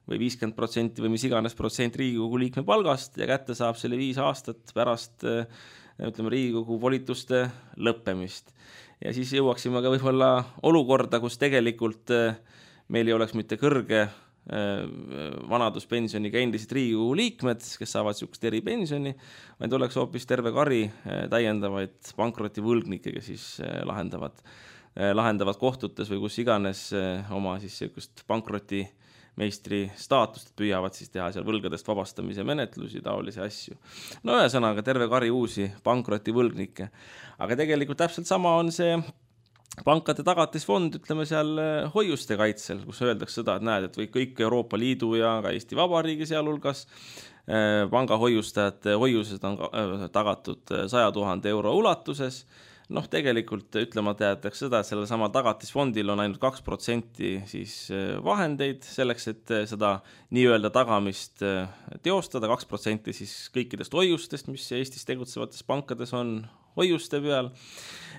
või 50% või mis iganes protsent Riigikogu liikme palgast ja kätte saab selle 5 aastat pärast Riigikogu volituste lõppemist. Ja siis jõuaksime ka võib-olla olukorda, kus tegelikult meil ei oleks mitte kõrge vanaduspensioniga endised Riigikogu liikmed, kes saavad siukest eripensioni, vaid oleks hoopis terve kari täiendavaid pankrotivõlgnikke, kes siis lahendavad kohtutes või kus iganes oma siis siukest pankrotimeistri staatust, püüavad siis teha seal võlgadest vabastamise menetlusi, taolisi asju. Ühesõnaga terve kari uusi pankrotivõlgnikke. Aga tegelikult täpselt sama on see pankade tagatisfond, ütleme seal hoiuste kaitsel, kus öeldakse seda, et näed, et või kõik Euroopa Liidu ja ka Eesti Vabariigi sealhulgas pangahoiustajate hoiused on tagatud 100 000 euro ulatuses. Tegelikult ütlemata jäetakse seda, et sellel sama tagatisfondil on ainult 2% siis vahendeid selleks, et seda nii-öelda tagamist teostada, 2% siis kõikidest hoiustest, mis Eestis tegutsevates pankades on hoiuste peal.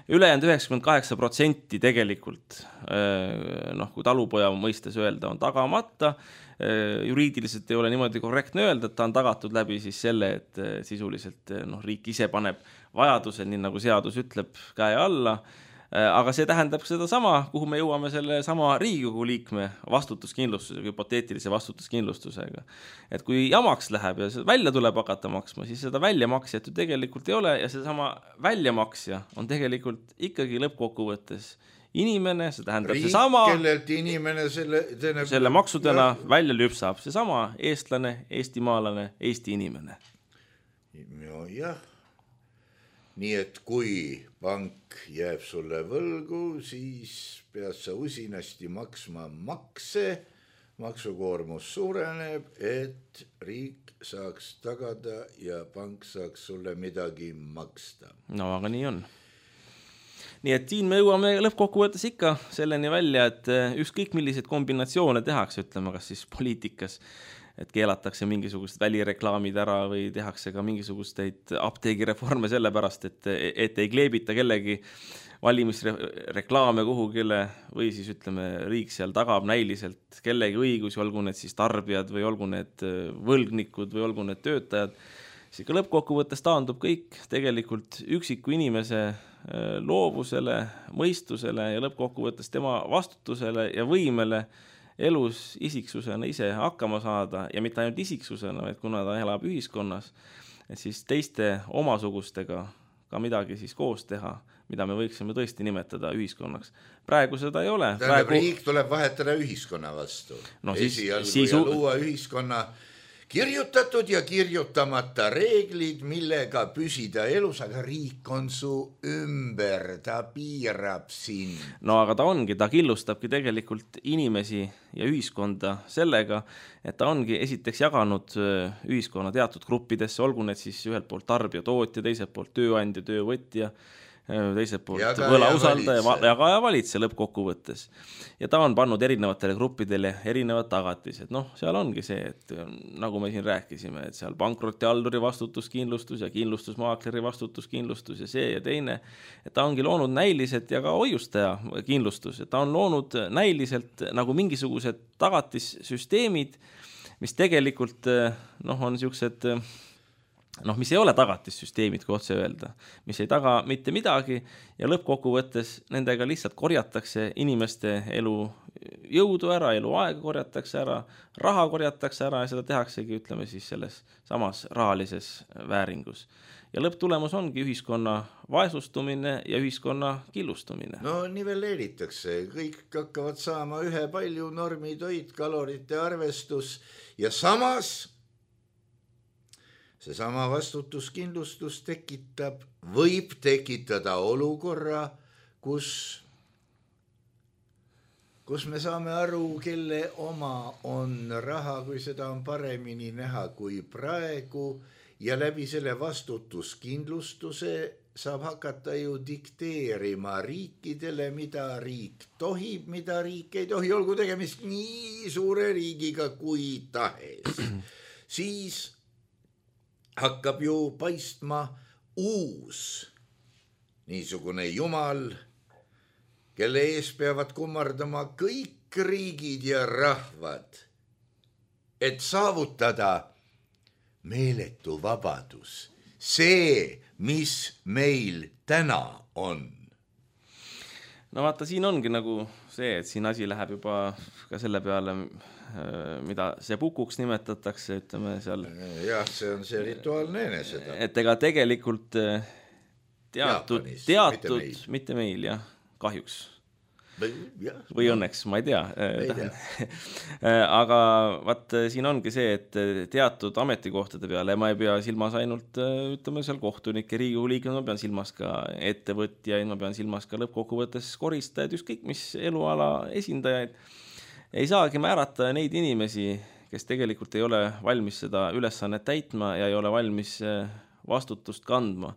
Ülejäänud 98% tegelikult, kui talupoja mõistes öelda, on tagamata. Juriidiliselt ei ole niimoodi korrektne öelda, et ta on tagatud läbi siis selle, et sisuliselt riik ise paneb vajadusel, nii nagu seadus ütleb, käe alla. Aga see tähendab seda sama, kuhu me jõuame selle sama Riigikogu liikme vastutuskindlustusega, hüpoteetilise vastutuskindlustusega. Et kui jamaks läheb ja välja tuleb hakata maksma, siis seda väljamaksjat ju tegelikult ei ole ja see sama väljamaksja on tegelikult ikkagi lõppkokkuvõttes inimene, see tähendab riik, seesama, kellelt inimene selle maksudena välja lüpsab, seesama eestlane, eestimaalane, Eesti inimene. Jah, nii et kui pank jääb sulle võlgu, siis pead sa usinasti maksma makse, maksukoormus suureneb, et riik saaks tagada ja pank saaks sulle midagi maksta. No aga nii on. Nii et siin me jõuame lõppkokkuvõttes ikka selleni välja, et ükskõik milliseid kombinatsioone tehakse, ütleme kas siis poliitikas, et keelatakse mingisugused välireklaamid ära või tehakse ka mingisugusteid apteegireforme sellepärast, et ei kleebita kellegi valimisreklaame kuhugile või siis ütleme, riik seal tagab näiliselt kellegi õigusi, olgu need siis tarbijad või olgu need võlgnikud või olgu need töötajad, siis ka lõppkokkuvõttes taandub kõik tegelikult üksiku inimese loovusele, mõistusele ja lõppkokkuvõttes tema vastutusele ja võimele elus isiksusena ise hakkama saada ja mitte ainult isiksusena, vaid kuna ta elab ühiskonnas, et siis teiste omasugustega ka midagi siis koos teha, mida me võiksime tõesti nimetada ühiskonnaks. Praegu seda ei ole. Tähendab, riik tuleb vahetada ühiskonna vastu. No, esialgu ja luua ühiskonna kirjutatud ja kirjutamata reeglid, millega püsida elus, aga riik on su ümber, ta piirab sind. No aga ta ongi, ta killustabki tegelikult inimesi ja ühiskonda sellega, et ta ongi esiteks jaganud ühiskonna teatud gruppidesse, olgu need siis ühelt poolt tarbija, tootja, teiselt poolt tööandja, töövõtja, teiselt poolt võlausaldaja ja ka valitse lõppkokkuvõttes. Ja ta on pannud erinevatele gruppidele erinevad tagatised. Noh, seal ongi see, et nagu me siin rääkisime, et seal pankrottihalduri vastutuskindlustus ja kindlustusmaakleri vastutuskindlustus ja see ja teine, et ta ongi loonud näiliselt ja ka hoiustaja kindlustus, et ta on loonud näiliselt nagu mingisugused tagatissüsteemid, mis tegelikult on siuksed mis ei ole tagatissüsteemid, kui otse öelda, mis ei taga mitte midagi ja lõppkokkuvõttes nendega lihtsalt korjatakse inimeste elu jõudu ära, eluaega korjatakse ära, raha korjatakse ära ja seda tehaksegi, ütleme siis selles samas rahalises vääringus. Ja lõpptulemus ongi ühiskonna vaesustumine ja ühiskonna killustumine. No nivelleeritakse, kõik hakkavad saama ühe palju normitoit, kalorite arvestus ja samas seesama vastutuskindlustus võib tekitada olukorra, kus me saame aru, kelle oma on raha, kui seda on paremini näha kui praegu ja läbi selle vastutuskindlustuse saab hakata ju dikteerima riikidele, mida riik tohib, mida riik ei tohi, olgu tegemist nii suure riigiga kui tahes. Siis hakkab ju paistma uus niisugune jumal, kelle ees peavad kummardama kõik riigid ja rahvad, et saavutada meeletu vabadus. See, mis meil täna on. No vaata, siin ongi nagu see, et siin asi läheb juba ka selle peale, mida see pukuks nimetatakse, ütleme seal. Jah, see on see rituaalne eneseda. Et ega tegelikult teatud, mitte meil, jah, kahjuks. Või õnneks, ma ei tea. Aga vaat siin ongi see, et teatud ametikohtade peale, ma ei pea silmas ainult, ütleme seal kohtunike, Riigikogu liikmed, ma pean silmas ka ettevõtjaid, ma pean silmas ka lõppkokkuvõttes koristajad, ükskõik mis eluala esindajaid, ei saagi määrata neid inimesi, kes tegelikult ei ole valmis seda ülesannet täitma ja ei ole valmis vastutust kandma.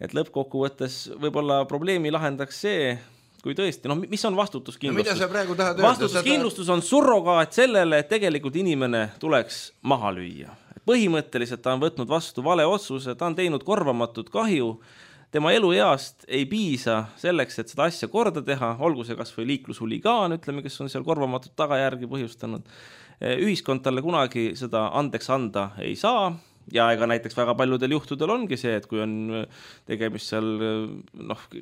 Et lõppkokkuvõttes võib-olla probleemi lahendaks see, kui tõesti, mis on vastutuskindlustus? No mida sa praegu tahad öelda? Vastutuskindlustus on surrogaat sellele, et tegelikult inimene tuleks maha lüüa. Põhimõtteliselt ta on võtnud vastu vale otsuse, ta on teinud korvamatut kahju, tema elueast ei piisa selleks, et seda asja korda teha, olgu see kas või liiklushuligaan, ütleme, kes on seal korvamatut tagajärgi põhjustanud. Ühiskond talle kunagi seda andeks anda ei saa. Ja ega näiteks väga paljudel juhtudel ongi see, et kui on tegemist seal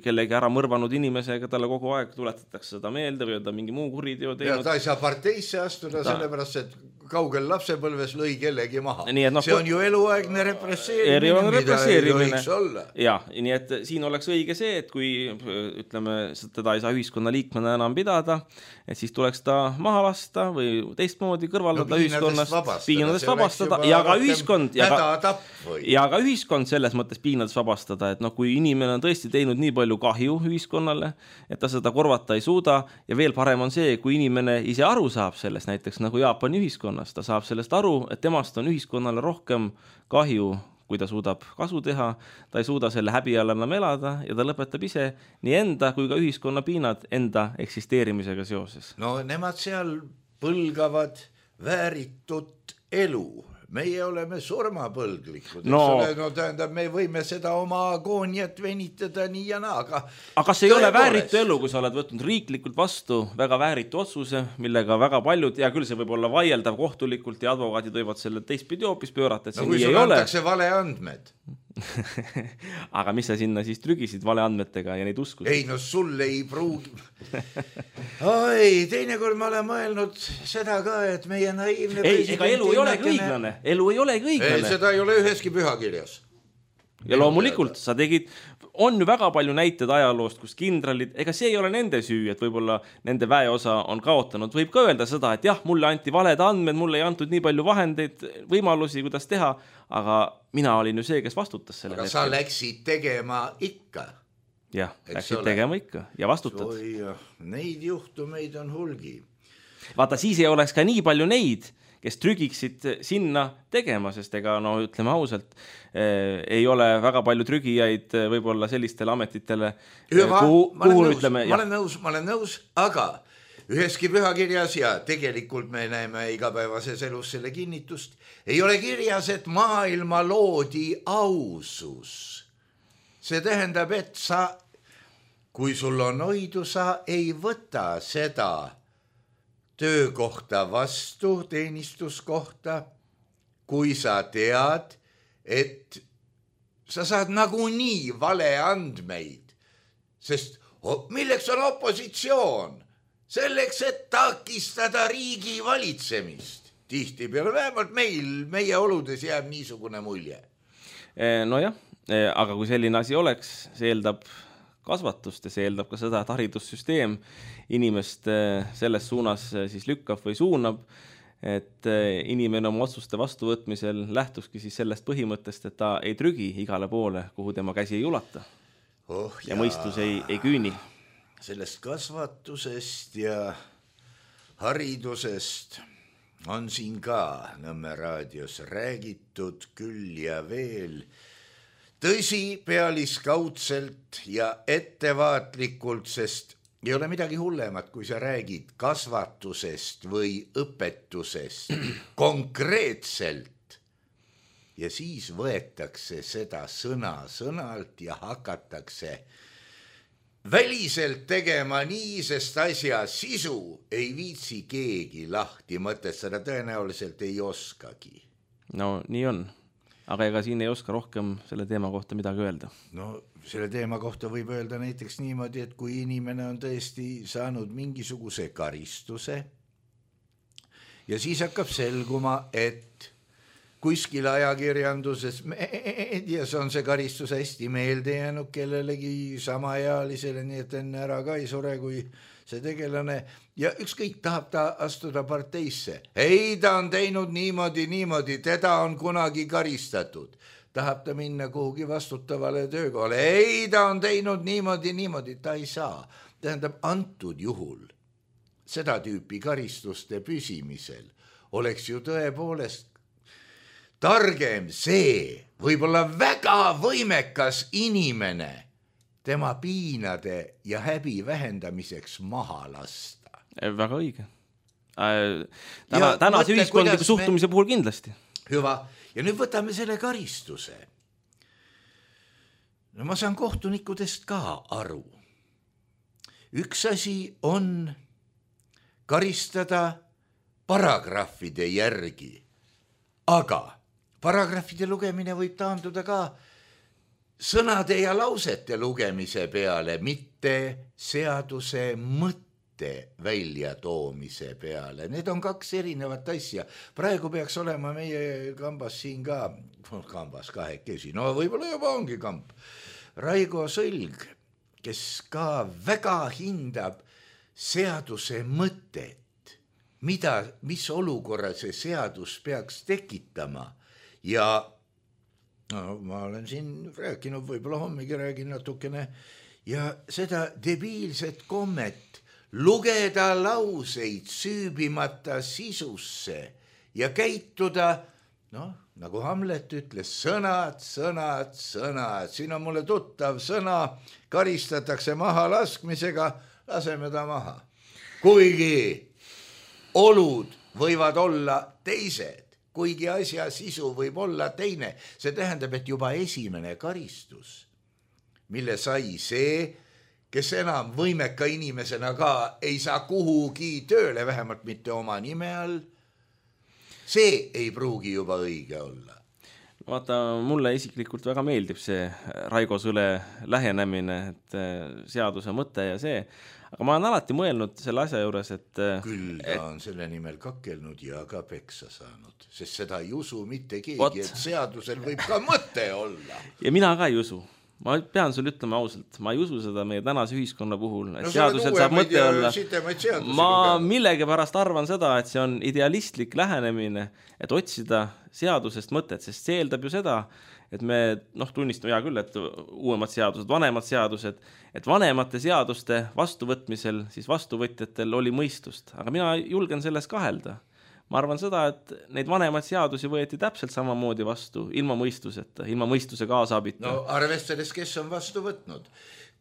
kellegi ära mõrvanud inimesega, talle kogu aeg tuletatakse seda meelde või on ta mingi muu kuriteo teinud. Ja ta ei saa parteisse astuda sellepärast, et kaugel lapsepõlves lõi kellegi maha. No, see on ju eluaegne represseerimine, mida ei tohiks olla. Ja, nii et siin oleks õige see, et kui ütleme, teda ei saa ühiskonna liikmena enam pidada, et siis tuleks ta maha lasta või teistmoodi kõrvaldada ühiskonnast, piinadest vabastada ja ka ühiskond ja ka ühiskond selles mõttes piinadest vabastada, et kui inimene on tõesti teinud nii palju kahju ühiskonnale, et ta seda korvata ei suuda ja veel parem on see, kui inimene ise aru saab sellest, näiteks nagu Jaapani ühiskonnas, ta saab sellest aru, et temast on ühiskonnale rohkem kahju, kui ta suudab kasu teha, ta ei suuda selle häbi all enam elada ja ta lõpetab ise nii enda kui ka ühiskonna piinad enda eksisteerimisega seoses. No nemad seal põlgavad vääritut elu. Meie oleme surmapõlglikud. Tähendab, me võime seda oma agooniat venitada nii ja naa. Aga see ei ole vääritu elu, kui sa oled võtnud riiklikult vastu väga vääritu otsuse, millega väga paljud, ja küll see võib olla vaieldav kohtulikult ja advokaadid võivad selle teistpidi hoopis pöörata, et see nii ei ole. Kui sul antakse vale andmed. Aga mis sa sinna siis trügisid vale andmetega ja neid uskusid? Ei, sul ei pruugi. Oi, teinekord ma olen mõelnud seda ka, et meie naiivne ega elu ei ole õiglane. Elu ei ole õiglane. Seda ei ole üheski pühakirjas. Ja loomulikult sa tegid, on ju väga palju näited ajaloost, kus kindralid, ega see ei ole nende süü, et võib-olla nende väeosa on kaotanud. Võib ka öelda seda, et jah, mulle anti valed andmed, mulle ei antud nii palju vahendeid, võimalusi, kuidas teha, aga mina olin ju see, kes vastutas selle. Aga sa läksid tegema ikka. Jah, läksid tegema ikka ja vastutad. Neid juhtumeid on hulgi. Vaata, siis ei oleks ka nii palju neid, kes trügiksid sinna tegema, sest ega ütleme ausalt, ei ole väga palju trügijaid võib-olla sellistele ametitele. Ma olen nõus, aga üheski pühakirjas ja tegelikult me näeme igapäevases elus selle kinnitust, ei ole kirjas, et maailma loodi ausus. See tähendab, et kui sul on oidu, sa ei võta seda töökohta vastu, teenistuskohta, kui sa tead, et sa saad nagunii vale andmeid, sest milleks on opositsioon? Selleks, et takistada riigi valitsemist. Tihtipeale vähemalt meie oludes jääb niisugune mulje. Nojah, aga kui selline asi oleks, see eeldab kasvatust ja see eeldab ka seda, et haridussüsteem inimest selles suunas siis lükkab või suunab, et inimene oma otsuste vastuvõtmisel lähtuski siis sellest põhimõttest, et ta ei trügi igale poole, kuhu tema käsi ei ulata ja mõistus ei küüni. Sellest kasvatusest ja haridusest on siin ka Nõmme raadios räägitud küll ja veel. Tõsi, pealiskaudselt ja ettevaatlikult, sest ei ole midagi hullemat, kui sa räägid kasvatusest või õpetusest konkreetselt. Ja siis võetakse seda sõnalt ja hakatakse väliselt tegema nii, sest asja sisu ei viitsi keegi lahti mõtestada, tõenäoliselt ei oskagi. No nii on. Aga ega siin ei oska rohkem selle teema kohta midagi öelda. No selle teema kohta võib öelda näiteks niimoodi, et kui inimene on tõesti saanud mingisuguse karistuse ja siis hakkab selguma, et kuskil ajakirjanduses meedias on see karistus hästi meelde jäänud kellelegi samaealisele, nii et enne ära ka ei sure, kui see tegelane ja ükskõik tahab ta astuda parteisse. Ei, ta on teinud niimoodi, teda on kunagi karistatud. Tahab ta minna kuhugi vastutavale töökohale. Ei, ta on teinud niimoodi, ta ei saa. Tähendab, antud juhul seda tüüpi karistuste püsimisel oleks ju tõepoolest targem see, võib-olla väga võimekas inimene tema piinade ja häbi vähendamiseks maha lasta. Väga õige. Tänase ühiskondliku suhtumise puhul kindlasti. Hüva. Ja nüüd võtame selle karistuse. No ma saan kohtunikudest ka aru. Üks asi on karistada paragrahvide järgi, aga paragrahvide lugemine võib taanduda ka sõnade ja lausete lugemise peale, mitte seaduse mõtte mõtte välja toomise peale. Need on kaks erinevat asja. Praegu peaks olema meie kambas siin ka, kambas kahekesi, no võib-olla juba ongi kamp, Raigo Sõlg, kes ka väga hindab seaduse mõtet, mis olukorra see seadus peaks tekitama ja no, ma olen siin rääkinud, võib-olla hommigi räägin natukene ja seda debiilset kommet lugeda lauseid süübimata sisusse ja käituda, noh, nagu Hamlet ütles, sõnad, siin on mulle tuttav sõna, karistatakse maha laskmisega, laseme ta maha. Kuigi olud võivad olla teised, kuigi asja sisu võib olla teine, see tähendab, et juba esimene karistus, mille sai see, kes enam võimeka inimesena ka ei saa kuhugi tööle, vähemalt mitte oma nime all, see ei pruugi juba õige olla. Vaata, mulle isiklikult väga meeldib see Raigo Sõle lähenemine, et seaduse mõte ja see, aga ma olen alati mõelnud selle asja juures, et küll ta on selle nimel kakkelnud ja ka peksa saanud, sest seda ei usu mitte keegi, et seadusel võib ka mõte olla. Ja mina ka ei usu. Ma pean sulle ütlema ausalt, ma ei usu seda meie tänase ühiskonna puhul, et seadusel saab mõte olla. Ma millegi pärast arvan seda, et see on idealistlik lähenemine, et otsida seadusest mõtet, sest see eeldab ju seda, et me tunnistame hea küll, et uuemad seadused, vanemad seadused, et vanemate seaduste vastuvõtmisel siis vastuvõtjatel oli mõistust, aga mina julgen selles kahelda. Ma arvan seda, et neid vanemaid seadusi võeti täpselt samamoodi vastu, ilma mõistuseta, ilma mõistuse kaasabita. No arvestades, kes on vastu võtnud.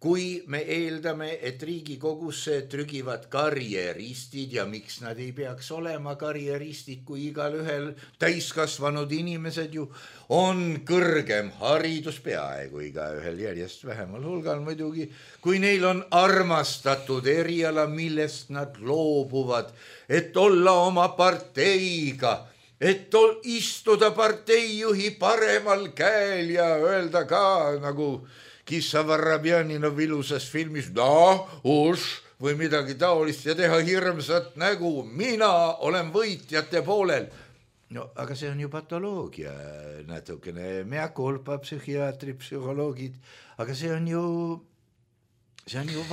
Kui me eeldame, et Riigikogusse trügivad karjeristid ja miks nad ei peaks olema karjeristid, kui igal ühel täiskasvanud inimesed ju on kõrgem haridus peaaegu iga ühel järjest vähemal hulgal muidugi, kui neil on armastatud eriala, millest nad loobuvad, et olla oma parteiga, et istuda parteijuhi paremal käel ja öelda ka nagu Kissa Varabjaninov ilusas filmis või midagi taolist ja teha hirmsat nägu, mina olen võitjate poolel. No aga see on ju patoloogia natukene, mea culpa, psühhiaatrid, psühholoogid, aga see on ju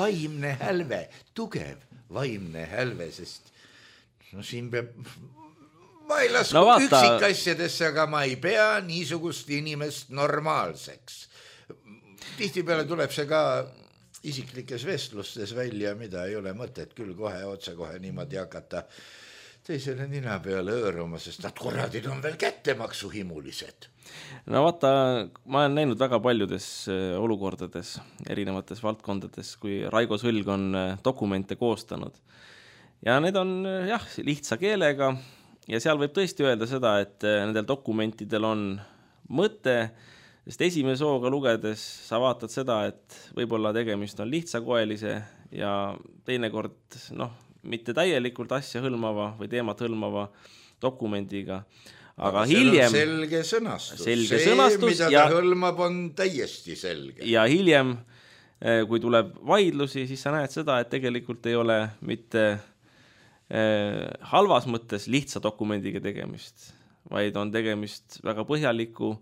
vaimne hälve, tugev vaimne hälve, sest siin peab, ma ei lasku üksikasjadesse, aga ma ei pea niisugust inimest normaalseks. Tihtipeale tuleb see ka isiklikes vestlustes välja, mida ei ole mõtet küll otsekohe niimoodi hakata teisele nina peale õõruma, sest nad korradid on veel kättemaksuhimulised. No vaata, ma olen näinud väga paljudes olukordades, erinevates valdkondades, kui Raigo Sõlg on dokumente koostanud. Ja need on lihtsa keelega ja seal võib tõesti öelda seda, et nendel dokumentidel on mõte, sest esimese hooga lugedes sa vaatad seda, et võib-olla tegemist on lihtsakoelise ja teinekord mitte täielikult asja hõlmava või teemat hõlmava dokumendiga. Aga hiljem selge sõnastus. Mida ta hõlmab, on täiesti selge. Ja hiljem, kui tuleb vaidlusi, siis sa näed seda, et tegelikult ei ole mitte halvas mõttes lihtsa dokumendiga tegemist, vaid on tegemist väga põhjaliku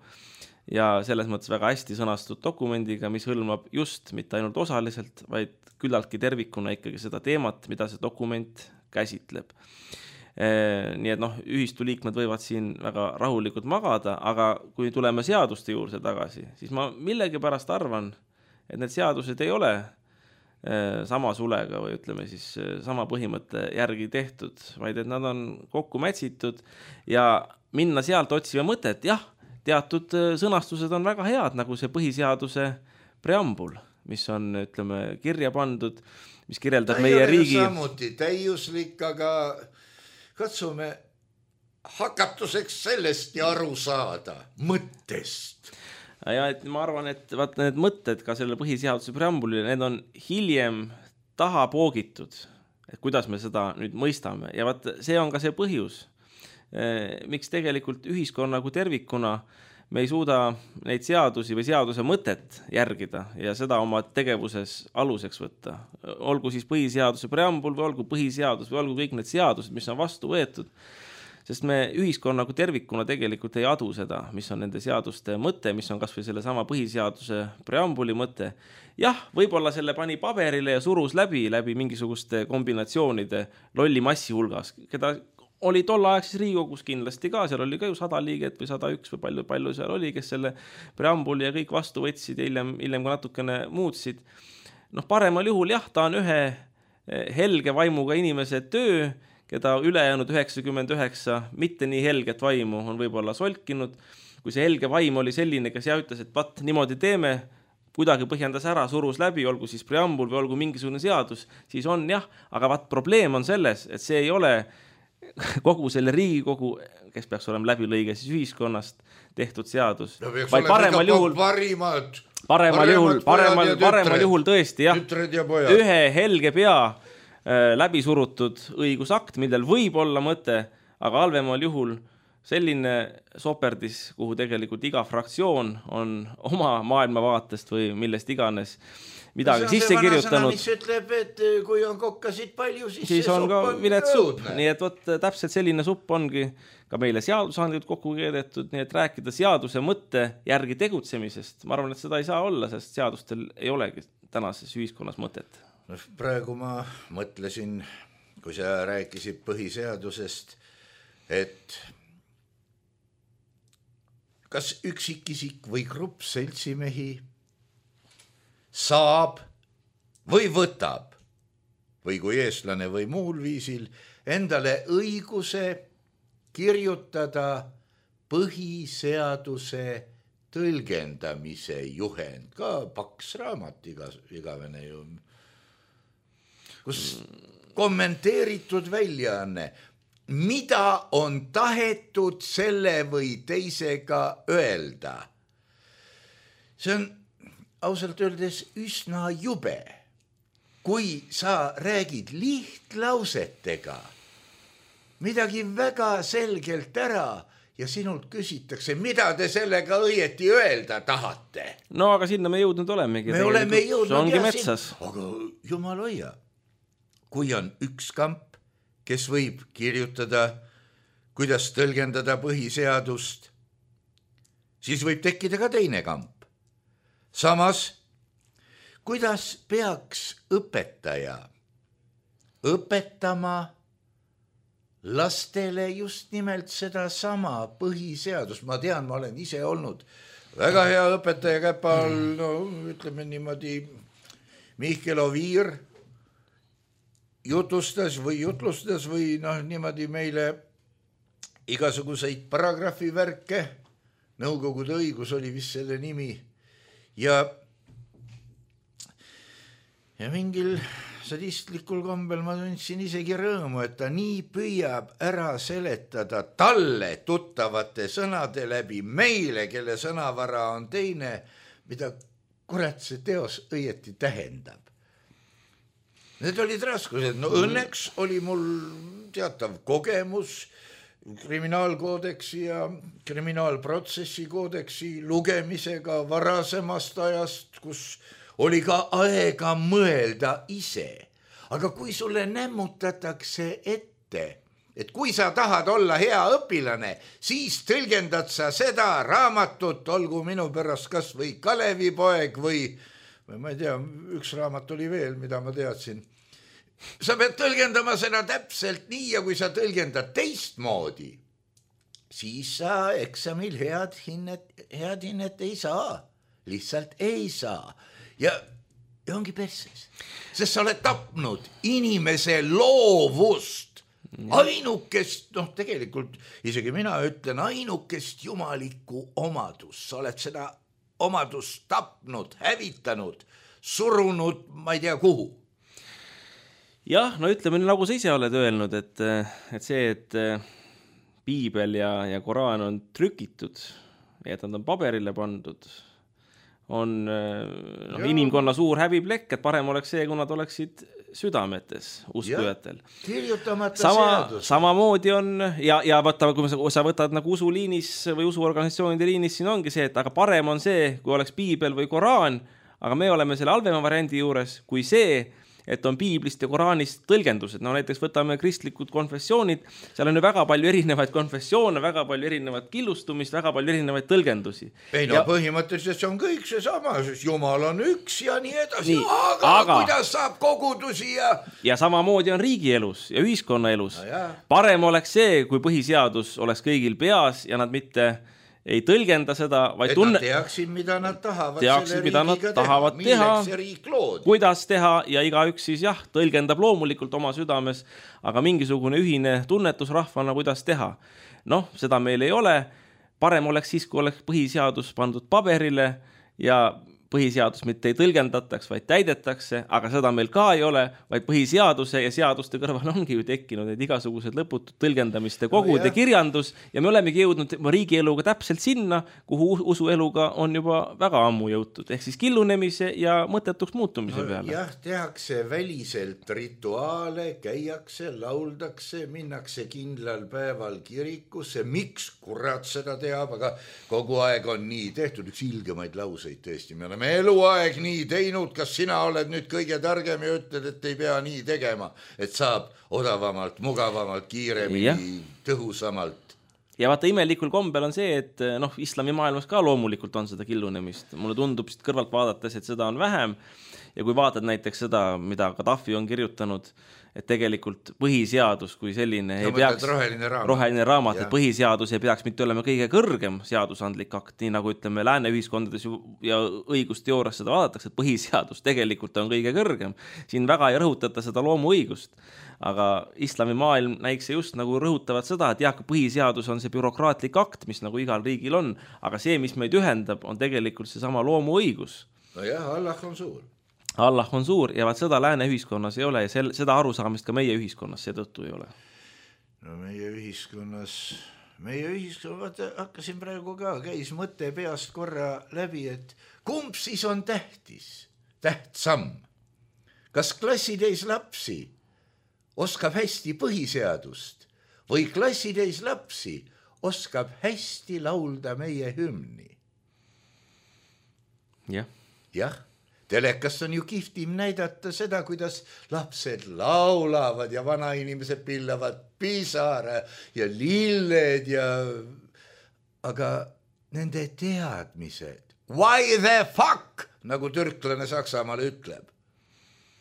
ja selles mõttes väga hästi sõnastatud dokumendiga, mis hõlmab just mitte ainult osaliselt, vaid küllaltki tervikuna ikkagi seda teemat, mida see dokument käsitleb. Nii et ühistu liikmed võivad siin väga rahulikult magada, aga kui tuleme seaduste juurde tagasi, siis ma millegi pärast arvan, et need seadused ei ole sama sulega või ütleme siis sama põhimõtte järgi tehtud, vaid et nad on kokku mätsitud ja minna sealt otsime mõtet, jah, teatud sõnastused on väga head, nagu see põhiseaduse preambul, mis on, ütleme, kirja pandud, mis kirjeldab meie riigi. Samuti täiuslik, aga katsume hakatuseks sellest ja aru saada mõttest. Ja et ma arvan, et need mõtted ka selle põhiseaduse preambulile, need on hiljem taha poogitud, et kuidas me seda nüüd mõistame. Ja see on ka see põhjus, miks tegelikult ühiskonna kui tervikuna me ei suuda neid seadusi või seaduse mõtet järgida ja seda oma tegevuses aluseks võtta. Olgu siis põhiseaduse preambul või olgu põhiseadus või olgu kõik need seadused, mis on vastu võetud, sest me ühiskonna kui tervikuna tegelikult ei adu seda, mis on nende seaduste mõte, mis on kas või selle sama põhiseaduse preambuli mõte. Jah, võib-olla selle pani paberile ja surus läbi mingisuguste kombinatsioonide lolli massi hulgas, keda oli tollaaegses Riigikogus kindlasti ka, seal oli ka ju 100 liiget või 101 või palju seal oli, kes selle preambuli ja kõik vastu võtsid ja hiljem ka natukene muutsid. Paremal juhul jah, ta on ühe helge vaimuga inimese töö, keda ülejäänud 99 mitte nii helget vaimu on võib-olla solkinud. Kui see helge vaim oli selline, kes ütles, et vat niimoodi teeme, kuidagi põhjendas ära, surus läbi, olgu siis preambul või olgu mingisugune seadus, siis on jah, aga vat probleem on selles, et see ei ole kogu selle Riigikogu, kes peaks olema läbilõige siis ühiskonnast tehtud seadus, vaid paremal juhul tõesti jah, ühe helge pea läbi surutud õigusakt, millel võib olla mõte, aga halvemal juhul selline soperdis, kuhu tegelikult iga fraktsioon on oma maailmavaatest või millest iganes midagi sisse kirjutanud. Mis ütleb, et kui on kokkasid palju, siis on ka vilet supp. Nii et võt, täpselt selline supp ongi ka meile seadusandlikult kokku keedetud, nii et rääkida seaduse mõtte järgi tegutsemisest. Ma arvan, et seda ei saa olla, sest seadustel ei olegi tänases ühiskonnas mõtet. Praegu ma mõtlesin, kui sa rääkisid põhiseadusest, et kas üksikisik või grupp seltsimehi saab või võtab või kui eestlane või muul viisil endale õiguse kirjutada põhiseaduse tõlgendamise juhend, ka paks raamat igavene ju, kus kommenteeritud väljaanne, mida on tahetud selle või teisega öelda. See on ausalt öeldes üsna jube, kui sa räägid lihtlausetega midagi väga selgelt ära ja sinult küsitakse, mida te sellega õieti öelda tahate. No aga sinna me jõudnud olemegi. Me oleme jõudnud. See ongi metsas. Aga jumal hoia, kui on üks kamp, kes võib kirjutada, kuidas tõlgendada põhiseadust, siis võib tekkida ka teine kamp. Samas, kuidas peaks õpetaja õpetama lastele just nimelt seda sama põhiseadust? Ma tean, ma olen ise olnud väga hea õpetaja käpa all, no ütleme niimoodi, Mihkel Oviir jutlustas või niimoodi meile igasuguseid paragrahvivärke, Nõukogude õigus oli vist selle nimi, ja mingil sadistlikul kombel ma tundsin isegi rõõmu, et ta nii püüab ära seletada talle tuttavate sõnade läbi meile, kelle sõnavara on teine, mida kurat see teos õieti tähendab. Need olid raskused. No õnneks oli mul teatav kogemus kriminaalkoodeksi ja kriminaalprotsessi koodeksi lugemisega varasemast ajast, kus oli ka aega mõelda ise. Aga kui sulle nämmutatakse ette, et kui sa tahad olla hea õpilane, siis tõlgendad sa seda raamatut, olgu minu pärast kas või Kalevipoeg või ma ei tea, üks raamat oli veel, mida ma teadsin. Sa pead tõlgendama seda täpselt nii ja kui sa tõlgendad teistmoodi, siis sa eksamil head hinnet ei saa. Lihtsalt ei saa. Ja ongi perses. Sest sa oled tapnud inimese loovust. Ainukest, tegelikult isegi mina ütlen, ainukest jumalikku omadust. Sa oled seda omadust tapnud, hävitanud, surunud, ma ei tea kuhu. Jah, no ütleme nagu sa ise oled öelnud, et see, et piibel ja Koraan on trükitud ja et nad on paberile pandud, on inimkonna suur häbiplekk, et parem oleks see, kui nad oleksid südametes uskujatel. Kirjutamata seadus. Samamoodi on ja võtta, kui sa võtad nagu usuliinis või usuorganisatsioonide liinis, siin ongi see, et aga parem on see, kui oleks piibel või Koraan, aga me oleme selle halvema variandi juures, kui see, et on piiblist ja Koraanist tõlgendused. No näiteks võtame kristlikud konfessioonid, seal on ju väga palju erinevaid konfessioone, väga palju erinevat killustumist, väga palju erinevaid tõlgendusi. Ei no põhimõtteliselt see on kõik see sama, sest Jumal on üks ja nii edasi. Aga kuidas saab kogudusi ja samamoodi on riigielus ja ühiskonnaelus. Parem oleks see, kui põhiseadus oleks kõigil peas ja nad mitte ei tõlgenda seda, vaid nad teaksid, mida nad tahavad teha, kuidas teha ja igaüks siis tõlgendab loomulikult oma südames, aga mingisugune ühine tunnetus rahvana, kuidas teha. Noh, seda meil ei ole. Parem oleks siis, kui oleks põhiseadus pandud paberile ja põhiseadus mitte ei tõlgendataks, vaid täidetakse, aga seda meil ka ei ole, vaid põhiseaduse ja seaduste kõrval ongi ju tekkinud need igasugused lõputud tõlgendamiste kogud ja kirjandus ja me olemegi jõudnud riigieluga täpselt sinna, kuhu usueluga on juba väga ammu jõutud, ehk siis killunemise ja mõttetuks muutumise peale. Jah, tehakse väliselt rituaale, käiakse, lauldakse, minnakse kindlal päeval kirikusse, miks kurat seda teab, aga kogu aeg on nii tehtud, üks ilgemaid lauseid tõesti, me oleme eluaeg nii teinud, kas sina oled nüüd kõige targem ja ütled, et ei pea nii tegema, et saab odavamalt, mugavamalt, kiiremini, tõhusamalt. Ja vaata, imelikul kombel on see, et islami maailmas ka loomulikult on seda killunemist. Mulle tundub kõrvalt vaadates, et seda on vähem ja kui vaatad näiteks seda, mida Gaddafi on kirjutanud, et tegelikult põhiseadus kui selline ei peaks, roheline raamat, et põhiseadus ei peaks mitte olema kõige kõrgem seadusandlik akt, nii nagu ütleme lääne ühiskondades ja õigusteoorias seda vaadatakse, et põhiseadus tegelikult on kõige kõrgem. Siin väga ei rõhutata seda loomuõigust, aga islami maailm näikse just nagu rõhutavad seda, et jah, põhiseadus on see bürokraatlik akt, mis nagu igal riigil on, aga see, mis meid ühendab, on tegelikult see sama loomuõigus. No jah, Allah on suur. Allah on suur ja vaat seda lääne ühiskonnas ei ole ja seda arusaamist ka meie ühiskonnas seetõttu ei ole. No meie ühiskonnas, vaata, hakkasin praegu ka, käis mõte peast korra läbi, et kumb siis on tähtsam? Kas klassitäis lapsi oskab hästi põhiseadust või klassitäis lapsi oskab hästi laulda meie hümni? Jah. Telekast on ju kihvtim näidata seda, kuidas lapsed laulavad ja vanainimesed pillavad pisara ja lilled ja... Aga nende teadmised, why the fuck, nagu türklane Saksamaal ütleb.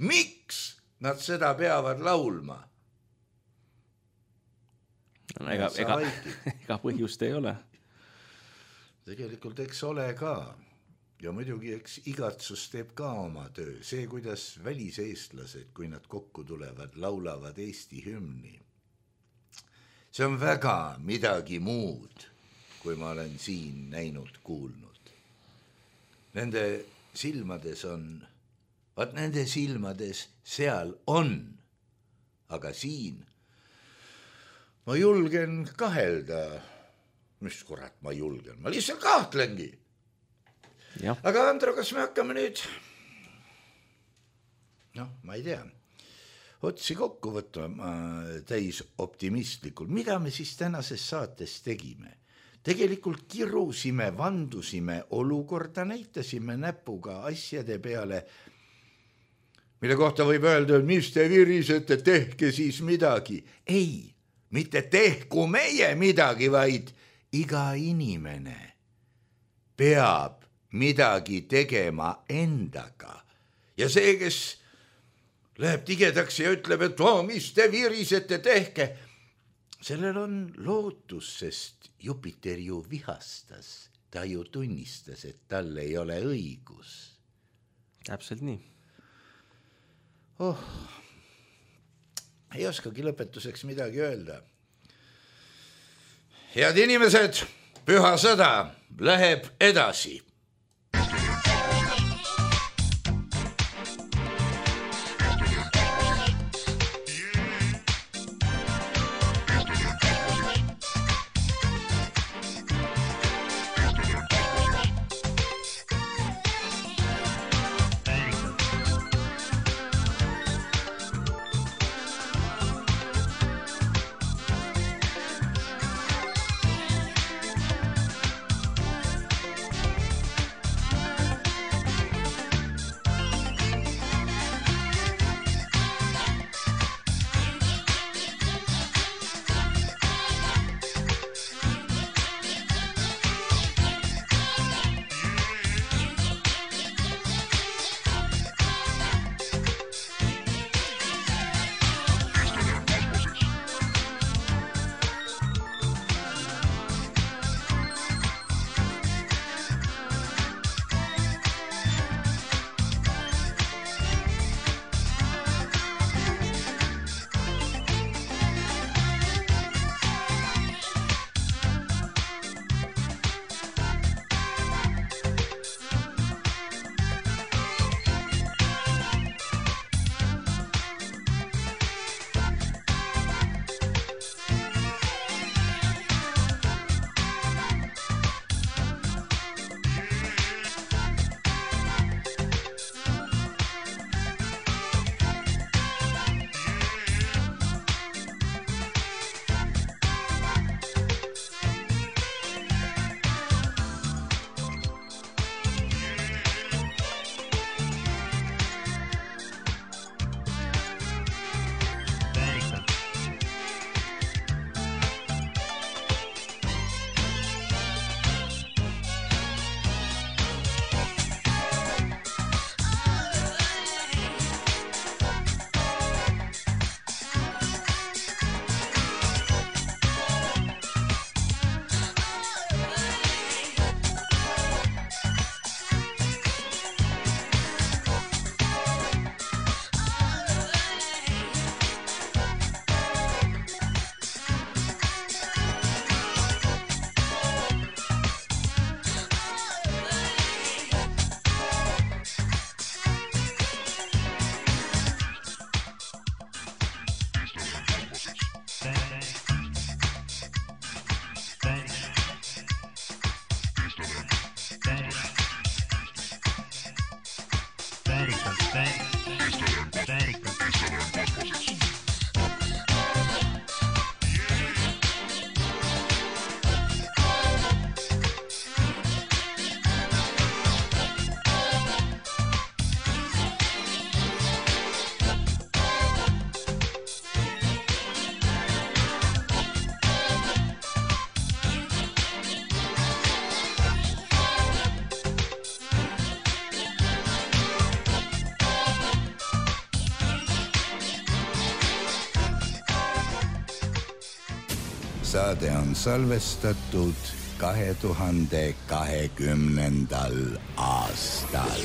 Miks nad seda peavad laulma? Ega põhjust ei ole. Tegelikult eks ole ka. Ja muidugi eks igatsus teeb ka oma töö. See, kuidas väliseestlased, kui nad kokku tulevad, laulavad Eesti hümni. See on väga midagi muud, kui ma olen siin näinud, kuulnud. Nende silmades on, nende silmades seal on, aga siin ma julgen kahelda. Mis kurat ma julgen? Ma lihtsalt kahtlengi. Ja. Aga Andro, kas me hakkame nüüd, ma ei tea, otsi kokku võtma täis optimistlikult. Mida me siis tänases saates tegime? Tegelikult kirusime, vandusime olukorda, näitasime näpuga asjade peale, mille kohta võib öelda, et mis te virisete, tehke siis midagi. Ei, mitte tehku meie midagi, vaid iga inimene peab midagi tegema endaga. Ja see, kes läheb tigedaks ja ütleb, et mis te virisete, tehke, sellel on lootus, sest Jupiter ju vihastas. Ta ju tunnistas, et tal ei ole õigus. Täpselt nii. Ei oskagi lõpetuseks midagi öelda. Head inimesed, püha sõda läheb edasi. saade on salvestatud 2020. aastal.